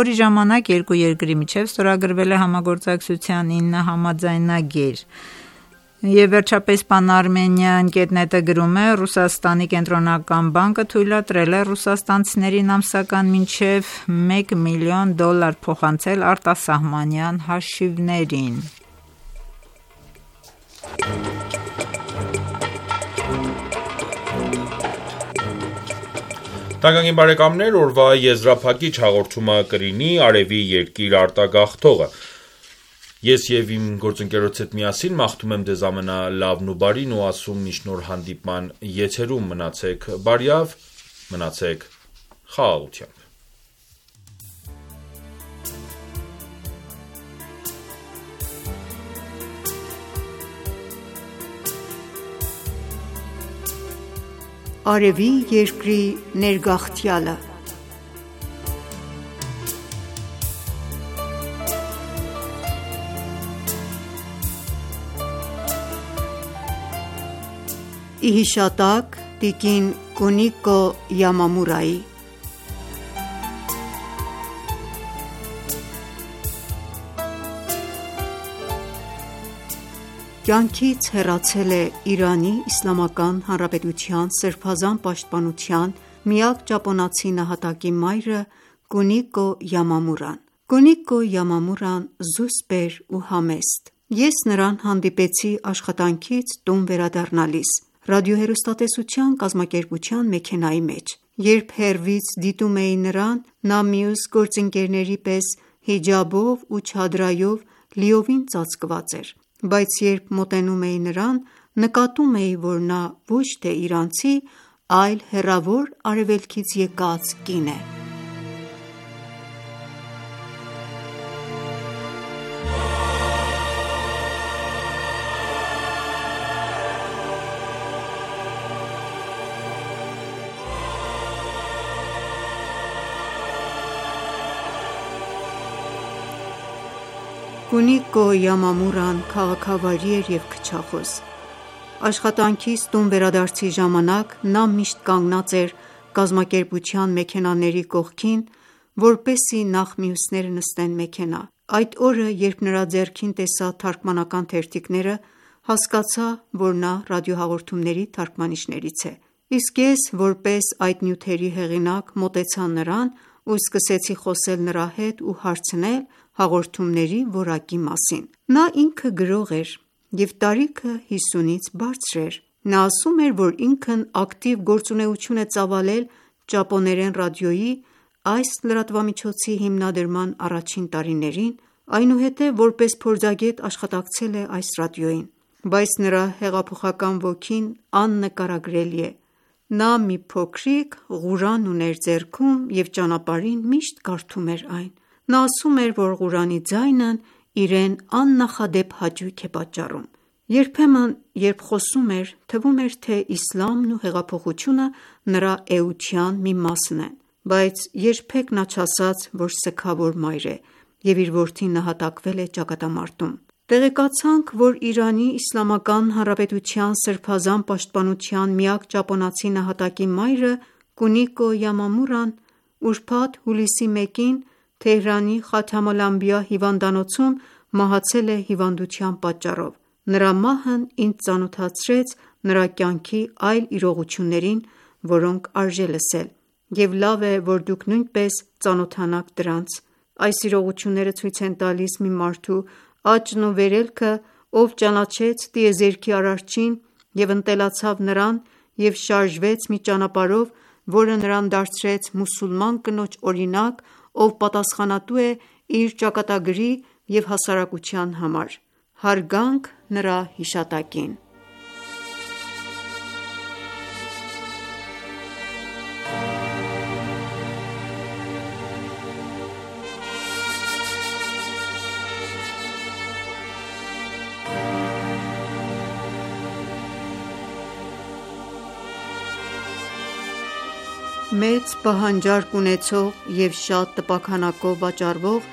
որի ժամանակ երկու երկրի միջև ստորագրվել է համագործակցության ինը համաձայնագիր։ Եվ վերջապես Pan-Armenian կետ net-ը գրում է. Ռուսաստանի կենտրոնական բանկը թույլատրել է ռուսաստանցիներին ամսական մինչև մեկ միլիոն դոլար փոխանցել արտասահմանյան հաշիվներին։ Թանկագին բարեկամներ, օրվա եզրափակիչ հաղորդումը կլինի Արևի երկիր արտագաղթողը։ Ես և իմ գործընկերոջ հետ միասին մաղթում եմ ձեզ ամենալավն ու բարին ու ասում մինչ նոր հանդիպման եթերում մնացեք բարյավ, մնացեք խաղաղությամբ։ Արևի երկրի ներգաղթյալը։ Ի հիշատակ տիկին Կունիկո Յամամուրայի։ Կյանքից հեռացել է Իրանի Իսլամական Հանրապետության սրբազան պաշտպանության միակ ճապոնացի նահատակի մայրը Կունիկո Յամամուրան։ Կունիկո Յամամուրան զուսպ էր ու համեստ։ Ես նրան հանդիպեցի աշխատանքից տուն վերադառնալիս ռադիոհեռուստատեսության կազմակերպության մեքենայի մեջ։ Երբ հեռվից դիտում էի նրան, նա մյուս գործընկերների պես հիջաբով ու չադրայով լիովին ծածկված էր, բայց երբ մոտենում էի նրան, նկատում էի, որ նա ոչ թե իրանցի, այլ հեռավոր արևելքից եկած կին է։ Կունիկո Յամամուրան քաղաքավարի էր և քչախոս։ Աշխատանքից տուն վերադարձի ժամանակ նա միշտ կանգնած էր կազմակերպության մեքենաների կողքին, որպեսզի նախ մյուսները նստեն մեքենա։ Այդ օրը, երբ նրա ձեռքին տեսա թարգմանական թերթիկները, հասկացա, որ նա ռադիոհաղորդումների թարգմանիչներից է։ Իսկ ես, որպես այդ նյութերի հեղինակ, մոտեցա նրան ու սկսեցի խոսել նրա հետ ու հարցնել հաղորդումների որակի մասին։ Նա ինքը գրող էր և տարիքը հիսունից բարձր էր։ Նա ասում էր, որ ինքն ակտիվ գործունեություն է ծավալել ճապոներեն ռադիոյի այս լրատվամիջոցի հիմնադրման առաջին տարիներին, այնուհետև որպես փորձագետ աշխատակցել է այս ռադիոյին, բայց նրա հեղափոխական ոգին աննկարագրելի է։ Նա մի փոքրիկ Ղուրան ուներ ձեռքում և ճանապարհին միշտ կարդում էր այն։ Նա ասում էր, որ Ղուրանի ձայնն իրեն աննախադեպ հաճույք է պատճառում։ Երբեմն, երբ խոսում էր, թվում էր, թե իսլամն ու հեղափոխությունը նրա էության մի մասն են, բայց երբեք նա չասաց, որ սգավոր մայր է և իր որդին նահատակվել է ճակատամարտում։ Տեղեկացանք, որ Իրանի Իսլամական Հանրապետության սրբազան պաշտպանության միակ ճապոնացի նահատակի մայրը Կունիկո Յամամուրան ուրբաթ հուլիսի մեկին Թեհրանի Խաթամ ալ-Անբիա հիվանդանոցում մահացել է հիվանդության պատճառով։ Նրա մահն ինձ ծանոթացրեց նրա կյանքի այլ իրողություններին, որոնք արժե լսել, և լավ է, որ դուք նույնպես ծանոթանաք դրանց։ Այս իրողությունները ցույց են տալիս մի մարդու աճն ու վերելքը, ով ճանաչեց տիեզերքի Արարչին և ընտելացավ նրան և շարժվեց մի ճանապարհով, որը նրան դարձրեց մուսուլման կնոջ օրինակ, ով պատասխանատու է իր ճակատագրի և հասարակության համար։ Հարգանք նրա հիշատակին։ Մեծ պահանջարկ ունեցող և շատ տպաքանակով վաճառվող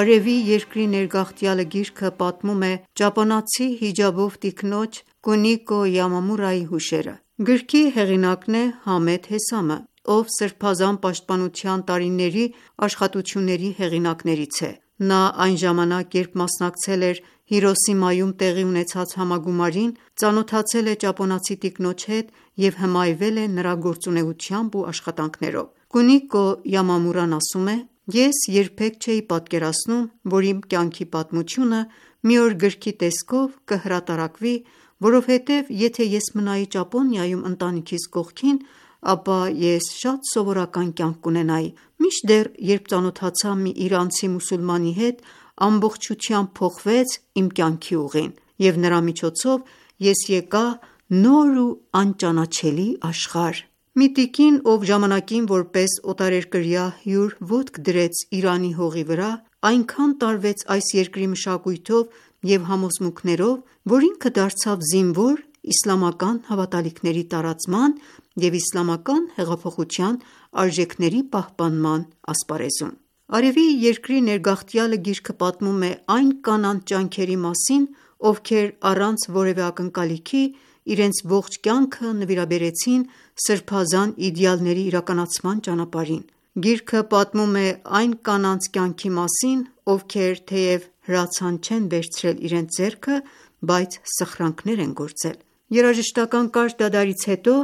«Արևի երկրի ներգաղթյալը» գիրքը պատմում է ճապոնացի հիջաբով տիկնոջ Կունիկո Յամամուրայի հուշերը։ Գրքի հեղինակն է Համեդ Հեսամը, ով սրբազան պաշտպանության տարիների աշխատությունների հեղինակներից է։ Նա այն ժամանակ, երբ մասնակցել էր Հիրոսիմայում տեղի ունեցած համագումարին, ծանոթացել է ճապոնացի տիկնոջ հետ և հմայվել է նրա գործունեությամբ ու աշխատանքներով։ Կունիկո Յամամուրան ասում է. «Ես երբեք չէի պատկերացնում, որ իմ կյանքի պատմությունը մի օր գրքի տեսքով կհրատարակվի, որովհետև եթե ես մնայի Ճապոնիայում ընտանիքիս կողքին, ապա ես շատ սովորական կյանք կունենայի, մինչդեռ երբ ծանոթացա մի իրանցի մուսուլմանի հետ, ամբողջությամբ փոխվեց իմ կյանքի ուղին, և նրա միջոցով ես եկա նոր ու անճանաչելի աշխարհ»։ Մի տիկին, ով ժամանակին որպես օտարերկրյա հյուր ոտք դրեց Իրանի հողի վրա, այնքան տարվեց այս երկրի մշակույթով և համոզմունքներով, որ ինքը դարձավ զինվոր իսլամական հավատալիքների տարածման և իսլամական հեղափոխության արժեքների պահպանման ասպարեզում։ Արևի երկրի ներգաղթյալը գիրքը պատմում է այն կանանց ջանքերի մասին, ովքեր առանց որևէ ակնկալիքի իրենց ողջ կյանքը նվիրաբերեցին սրբազան իդեալների իրականացման ճանապարհին։ Գիրքը պատմում է այն կանանց կյանքի մասին, ովքեր թեև հրացան չեն վերցրել իրենց ձեռքը, բայց սխրանքներ են գործել։ Երաժշտական կարճ դադարից հետո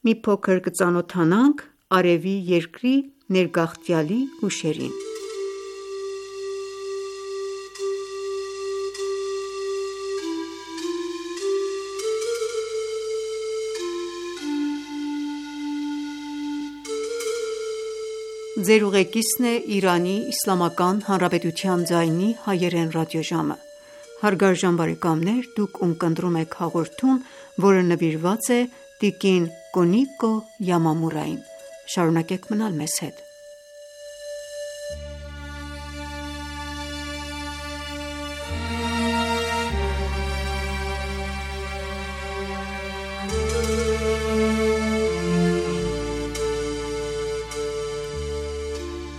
մի փոքր կծանոթանանք Արևի երկրի ներգաղթյալի հուշերին։ Ձեր ուղեկիցն է Իրանի Իսլամական Հանրապետության ձայնի հայերեն ռադիոժամը։ Հարգարժան բարեկամներ, դուք ունկնդրում եք հաղորդում, որը նվիրված է տիկին Կունիկո Յամամուրային։ Շարունակեք մնալ մեզ հետ։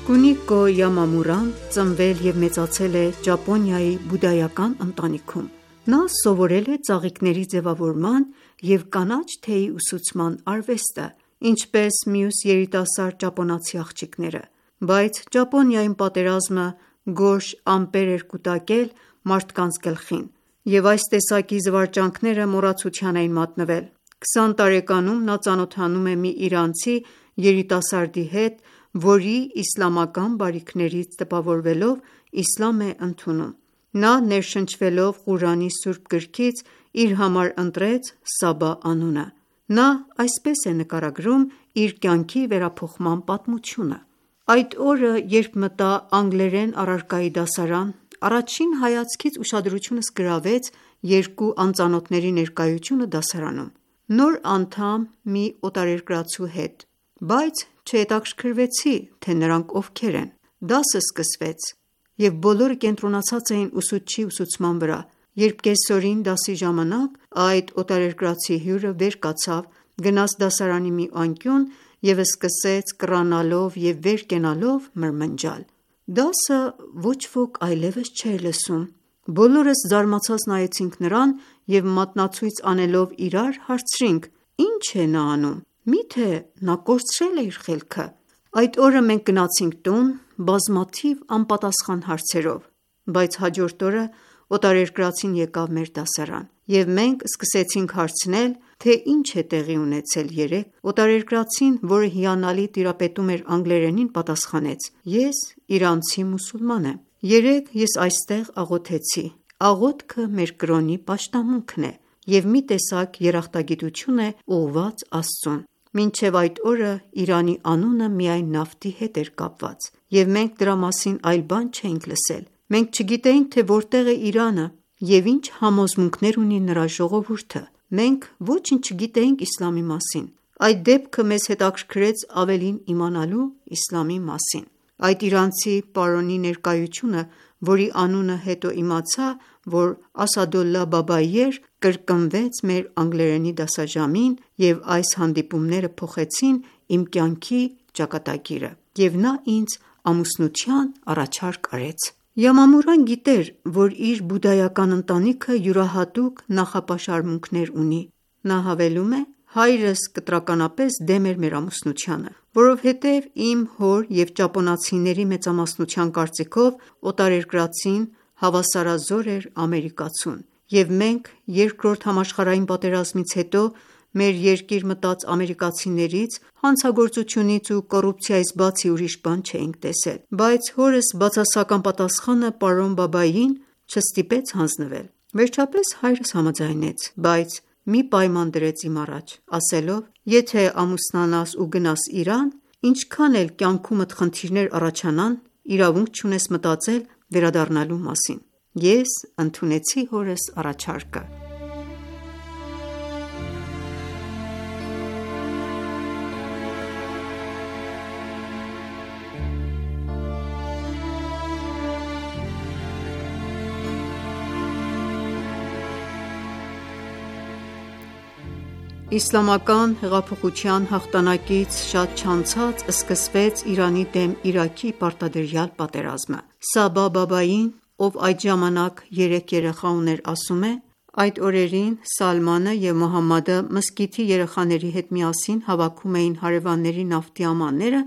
Կունիկո Յամամուրան ծնվել և մեծացել է Ճապոնիայի բուդդայական ընտանիքում։ Նա սովորել է ծաղիկների ձևավորման և կանաչ թեյի ուսուցման արվեստը, ինչպես մյուս երիտասարդ ճապոնացի աղջիկները, բայց Ճապոնիայում պատերազմը գորշ ամպեր էր կուտակել մարդկանց գլխին, և այս տեսակի զվարճանքները մոռացության էին մատնվել։ քսան տարեկանում նա ծանոթանում է մի իրանցի երիտասարդի հետ, որի իսլամական բարիքներից տպավորվելով իսլամ է ընդունում։ Նա ներշնչվելով Ղուրանի Սուրբ գրքից իր համար ընտրեց Սաբա անունը։ Նա այսպես է նկարագրում իր կյանքի վերափոխման պատմությունը. «Այդ օրը, երբ մտա անգլերեն առարկայի դասարան, առաջին հայացքից ուշադրությունս գրավեց երկու անծանոթների ներկայությունը դասարանում։ Նոր անդամ մի օտարերկրացու հետ, բայց չհետաքրքրվեցի, թե նրանք ովքեր են։ Դասը սկսվեց, և բոլորը կենտրոնացած էին ուսուցչի ուսուցման վրա, երբ կեսօրին դասի ժամանակ այդ օտարերկրացի հյուրը վեր կացավ, գնաց դասարանի մի անկյուն և սկսեց կռանալով և վեր կենալով մրմնջալ։ Դասը ոչ ոք այլևս չէր լսում։ Բոլորս զարմացած նայեցինք նրան և մատնացույց անելով իրար հարցրինք. «Ի՞նչ է նա անում, միթե նա կորցրել է իր խելքը»։ Այդ օրը մենք գնացինք տուն բազմաթիվ անպատասխան հարցերով, բայց հաջորդ օրը օտարերկրացին եկավ մեր դասարան, և մենք սկսեցինք հարցնել, թե ինչ է տեղի ունեցել երեկ։ Օտարերկրացին, որը հիանալի տիրապետում էր անգլերենին, պատասխանեց. «Ես իրանցի մուսուլման եմ։ Երեկ ես այստեղ աղոթեցի։ Աղոթքը մեր կրոնի պաշտամունքն է և մի տեսակ երախտագիտություն է ուղղված Աստծուն։ Մինչև այդ օրը Իրանի անունը միայն նավթի հետ էր կապված, և մենք դրա մասին այլ բան չէինք լսել։ Մենք չգիտեինք, թե որտեղ է Իրանը և ինչ համոզմունքներ ունի նրա ժողովուրդը։ Մենք ոչինչ չգիտեինք իսլամի մասին։ Այդ դեպքը մեզ հետաքրքրեց ավելին իմանալու իսլամի մասին։ Այդ իրանցի պարոնի ներկայությունը, որի անունը հետո իմացա, որ Ասադոլլահ Բաբայի էր, կրկնվեց մեր անգլերենի դասաժամին, և այս հանդիպումները փոխեցին իմ կյանքի ճակատագիրը, և նա ինձ ամուսնության առաջարկ արեց»։ Յամամուրան գիտեր, որ իր բուդդայական ընտանիքը յուրահատուկ նախապաշարմունքներ ունի։ Նա հավելում է. «Հայրս կտրականապես դեմ էր մեր ամուսնությանը, որովհետև իմ հոր և ճապոնացիների մեծամասնության կարծիքով օտարերկրացին հավասարազոր էր ամերիկացուն, և մենք Երկրորդ համաշխարհային պատերազմից հետո մեր երկիր մտած ամերիկացիներից հանցագործությունից ու կոռուպցիայից բացի ուրիշ բան չէինք տեսել։ Բայց հորս բացասական պատասխանը պարոն Բաբայիին չստիպեց հանձնվել։ Վերջապես հայրս համաձայնեց, բայց մի պայման դրեց իմ առաջ, ասելով. «Եթե ամուսնանաս ու գնաս Իրան, ինչքան էլ կյանքումդ խնդիրներ առաջանան, իրավունք չունես մտածել վերադառնալու մասին»։ Ես ընդունեցի հորս առաջարկը։ Իսլամական հեղափոխության հաղթանակից շատ չանցած սկսվեց Իրանի դեմ Իրաքի պարտադրյալ պատերազմը։ Սաբա Բաբային, ով այդ ժամանակ երեք երեխա ուներ, ասում է. «Այդ օրերին Սալմանը և Մուհամմադը մզկիթի երեխաների հետ միասին հավաքում էին հարևանների նավթի ամանները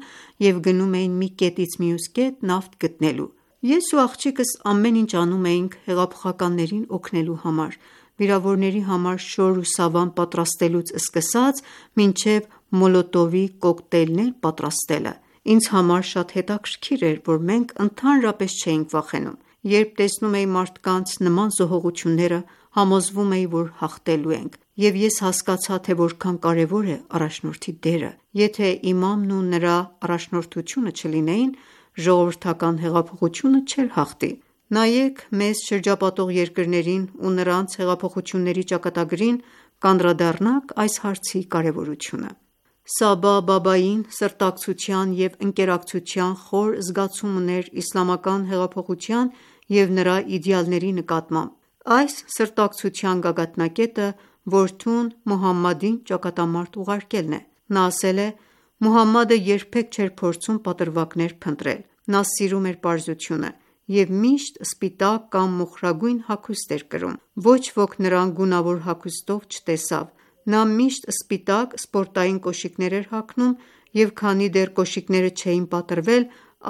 և գնում էին մի կետից մյուս կետ նավթ գտնելու։ Ես ու աղջիկս ամեն ինչ անում էինք հեղափոխականներին օգնելու համար, վիրավորների համար շոր ու սավան պատրաստելուց սկսած մինչև մոլոտովի կոկտեյլներ պատրաստելը։ Ինձ համար շատ հետաքրքիր էր, որ մենք ընդհանրապես չէինք վախենում։ Երբ տեսնում էի մարդկանց նման զոհողությունները, համոզվում էի, որ հաղթելու ենք, և ես հասկացա, թե որքան կարևոր է առաջնորդի դերը։ Եթե իմամն ու նրա առաջնորդությունը չլինեին, ժողովրդական հեղափոխությունը չէր հաղթի։ Նայեք մեզ շրջապատող երկրներին ու նրանց հեղափոխությունների ճակատագրին, կանդրադառնաք այս հարցի կարևորությունը»։ Սաբա Բաբային սրտակցության և ընկերակցության խոր զգացում ուներ իսլամական հեղափոխության և նրա իդեալների նկատմամբ։ Այս սրտակցության գագաթնակետը որդուն Մուհամմադին ճակատամարտ ուղարկելն է։ Նա ասել է. «Մուհամմադը երբեք չէր փորձում պատրվակներ փնտրել։ Նա սիրում էր պարզությունը և միշտ սպիտակ կամ մոխրագույն հագուստ էր կրում։ Ոչ ոք նրան գունավոր հագուստով չտեսավ։ Նա միշտ սպիտակ սպորտային կոշիկներ էր հագնում և քանի դեռ կոշիկները չէին պատրվել,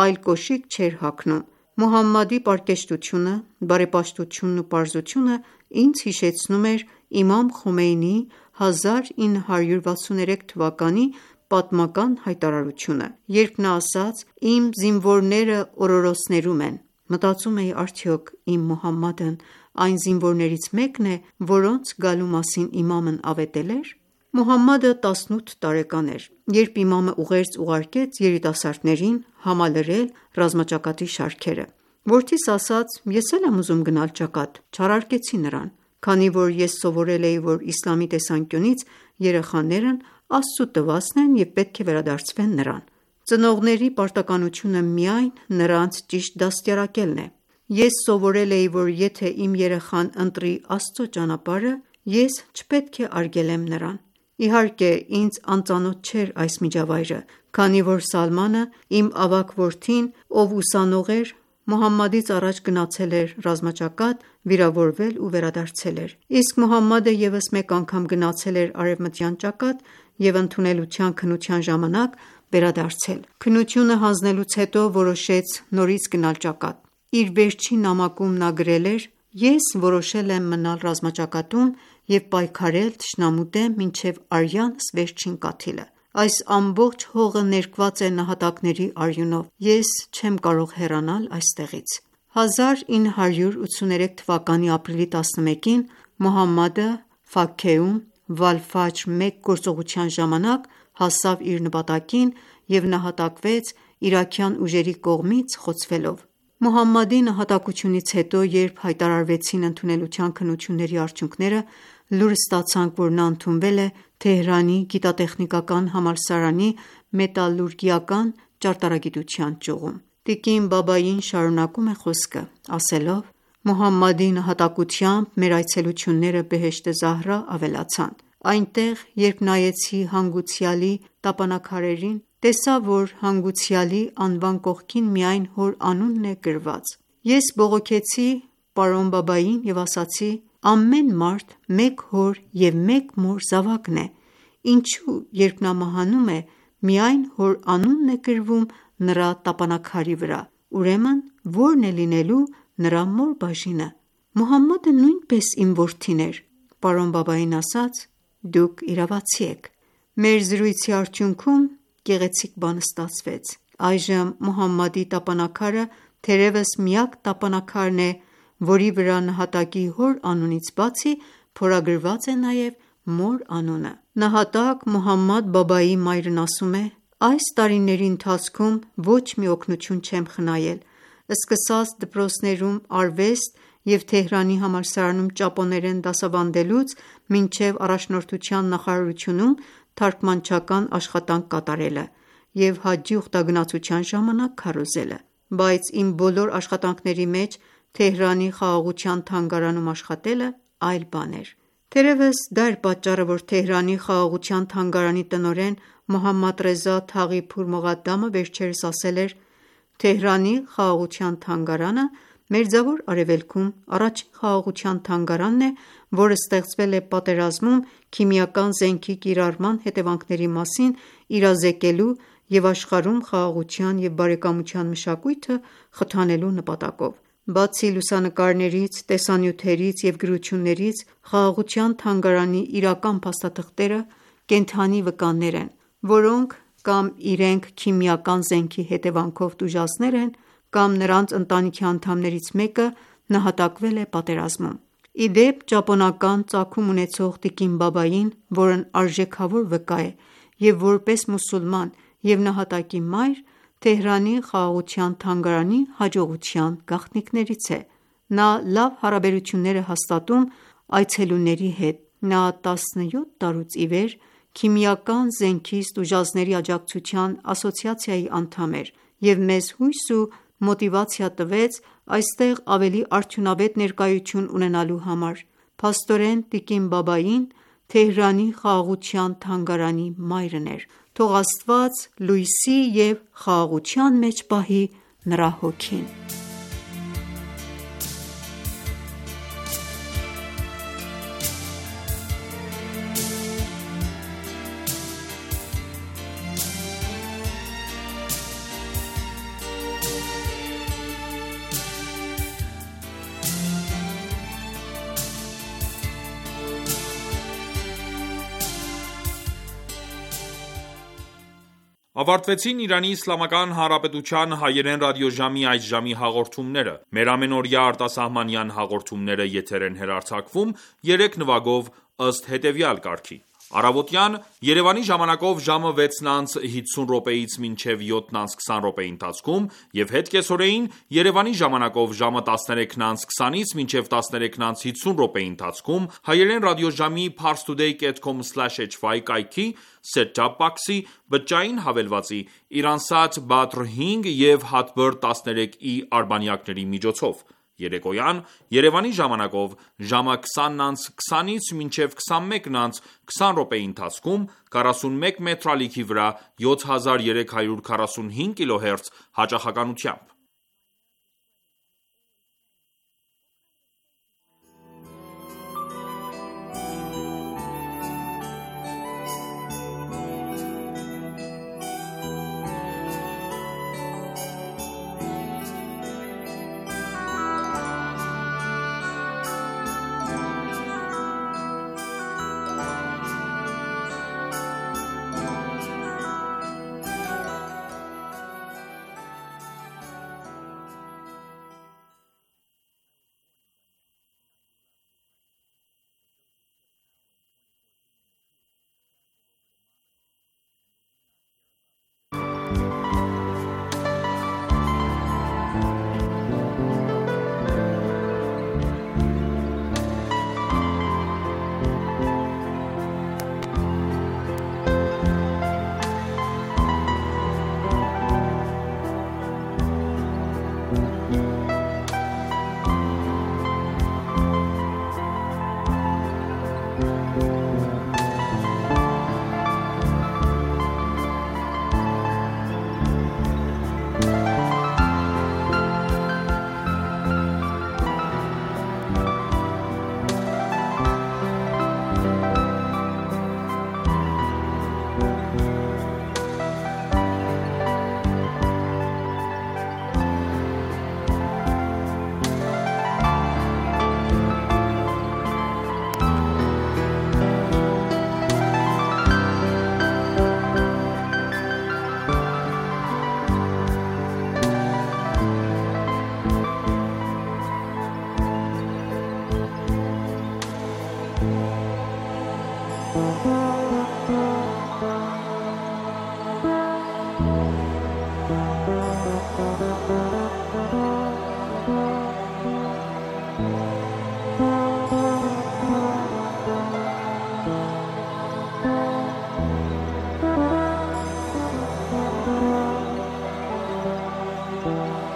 այլ կոշիկ չէր հագնում։ Մուհամմադի պարկեշտությունը, բարեպաշտությունն ու պարզությունը ինձ հիշեցնում էր իմամ Խոմեյնիի հազար ինը հարյուր վաթսուներեք թվականի պատմական հայտարարությունը, երբ նա ասաց. «Իմ զինվորները օրորոցներում են»։ Մտածում էի, արդյոք իմ Մուհամմադն այն զինվորներից մեկն է, որոնց գալու մասին իմամն ավետել էր։ Մուհամմադը տասնութ տարեկան էր, երբ իմամը ուղերձ ուղարկեց երիտասարդներին համալրել ռազմաճակատի շարքերը։ Որդիս ասաց. «Ես էլ եմ ուզում գնալ ճակատ»։ Չառարկեցի նրան, քանի որ ես սովորել էի, որ իսլամի տեսանկյունից երեխաներն Աստծու տվածն են և պետք է վերադարձվեն նրան։ Ծնողների պարտականությունը միայն նրանց ճիշտ դաստիարակելն է։ Ես սովորել էի, որ եթե իմ երեխան ընտրի Աստծո ճանապարհը, ես չպետք է արգելեմ նրան։ Իհարկե, ինձ անծանոթ չէր այս միջավայրը, քանի որ Սալմանը, իմ ավագ որդին, ով ուսանող էր, Մուհամմադից առաջ գնացել էր ռազմաճակատ վիրավորվել ու վերադարձել էր, իսկ Մուհամմադը ևս մեկ անգամ գնացել էր արևմտյան ճակատ և ընդունելության քննության ժամանակ վերադարձել։ Քննությունը հանձնելուց հետո որոշեց նորից գնալ ճակատ։ Իր վերջին նամակում նա գրել էր. «Ես որոշել եմ մնալ ռազմաճակատում և պայքարել թշնամու դեմ մինչև արյանս վերջին կաթիլը։ Այս ամբողջ հողը ներկված է նահատակների արյունով։ Ես չեմ կարող հեռանալ այստեղից»։ հազար ինը հարյուր ութսուներեք թվականի ապրիլի տասնմեկին Մուհամմադը Ֆաքքեում Վալ-Ֆաջր մեկ գործողության ժամանակ հասավ իր նպատակին և նահատակվեց իրաքյան ուժերի կողմից խոցվելով։ Մուհամմադի նահատակությունից հետո, երբ հայտարարվեցին ընդունելության քննությունների արդյունքները, լուր ստացանք, որ նա ընդունվել է Թեհրանի գիտատեխնիկական համալսարանի մետալուրգիական ճարտարագիտության ճյուղում։ Տիկին Բաբային շարունակում է խոսքը, ասելով. «Մուհամմադի նահատակությամբ մեր այցելությունները Բեհեշթե Զահրա ավելացան։ Այնտեղ, երբ նայեցի հանգուցյալի տապանաքարերին, տեսա, որ հանգուցյալի անվան կողքին միայն հոր անունն է գրված։ Ես բողոքեցի պարոն Բաբային և ասացի. ամեն մարդ մեկ հոր և մեկ մոր զավակն է, ինչու երբ նա մահանում է, միայն հոր անունն է գրվում նրա տապանաքարի վրա, ուրեմն ո՞րն է լինելու նրա մոր բաժինը։ Մուհամմադը նույնպես իմ որդին էր։ Պարոն Բաբային ասաց. «Դուք իրավացի եք»։ Մեր զրույցի արդյունքում գեղեցիկ բան ստացվեց։ Այժմ Մուհամմադի տապանաքարը թերևս միակ տապանաքարն է, որի վրա նահատակի հոր անունից բացի փորագրված է նաև մոր անունը։ Նահատակ Մուհամմադ Բաբայի մայրն ասում է. «Այս տարիների ընթացքում ոչ մի օգնություն չեմ խնայել, սկսած դպրոցներում արվեստ և Թեհրանի համալսարանում ճապոներեն դասավանդելուց մինչև առաջնորդության նախարարությունում թարգմանչական աշխատանք կատարելը և հաջի ուխտագնացության ժամանակ քարոզելը։ Բայց իմ բոլոր աշխատանքների մեջ Թեհրանի խաղաղության թանգարանում աշխատելը այլ բան էր։ Թերևս դա էր պատճառը, որ Թեհրանի խաղաղության թանգարանի տնօրեն Մոհամմադ Ռեզա Թաղի Փուր Մողադամը վերջերս ասել էր.«Թեհրանի խաղաղության թանգարանը Մերձավոր Արևելքում առաջին խաղաղության թանգարանն է, որը ստեղծվել է պատերազմում քիմիական զենքի կիրառման հետևանքների մասին իրազեկելու և աշխարհում խաղաղության և բարեկամության մշակույթը խթանելու նպատակով»։ Բացի լուսանկարներից, տեսանյութերից և գրություններից, խաղաղության թանգարանի իրական փաստաթղթերը կենդանի վկաններ են, որոնք կամ իրենք քիմիական զենքի հետևանքով տուժածներ են, կամ նրանց ընտանիքի անդամներից մեկը նահատակվել է պատերազմում։ Ի դեպ, ճապոնական ծագում ունեցող տիկին Բաբային, որն արժեքավոր վկա է և որպես մուսուլման և նահատակի մայր, Թեհրանի խաղաղության թանգարանի հաջողության գաղտնիքներից է։ Նա լավ հարաբերություններ է հաստատում այցելուների հետ։ Նա տասնյոթ տարուց ի վեր Քիմիական զենքից տուժածների աջակցության ասոցիացիայի անդամ էր և մեզ հույս ու մոտիվացիա տվեց այստեղ ավելի արդյունավետ ներկայություն ունենալու համար։ Փաստորեն, տիկին Բաբային Թեհրանի խաղաղության թանգարանի մայրն էր։ Թող Աստված լույսի և խաղաղության մեջ պահի նրա հոգին։ Ավարտվեցին Իրանի Իսլամական Հանրապետության հայերեն ռադիոժամի այս ժամի հաղորդումները։ Մեր ամենօրյա արտասահմանյան հաղորդումները եթեր են հեռարձակվում երեք նվագով ըստ հետևյալ կարգի. Առավոտյան Երևանի ժամանակով ժամը վեցն անց հիսուն րոպեից մինչև յոթն անց քսան րոպեի ընթացքում և հետ կեսօրեին Երևանի ժամանակով ժամը տասներեքն անց քսանից մինչև տասներեքն անց հիսուն րոպեի ընթացքում հայերեն ռադիոժամի parstoday dot com slash h y կայքի set-top box-ի բջջային հավելվածի Iransat Badr հինգ և Hotbird տասներեք E արբանյակների միջոցով։ Երեկոյան Երևանի ժամանակով ժամը քսանն անց քսանից մինչև քսանմեկն անց քսան րոպեի ընթացքում քառասունմեկ մետր ալիքի վրա յոթ հազար երեք հարյուր քառասունհինգ կիլոհերց հաճախականությամբ։ Thank you.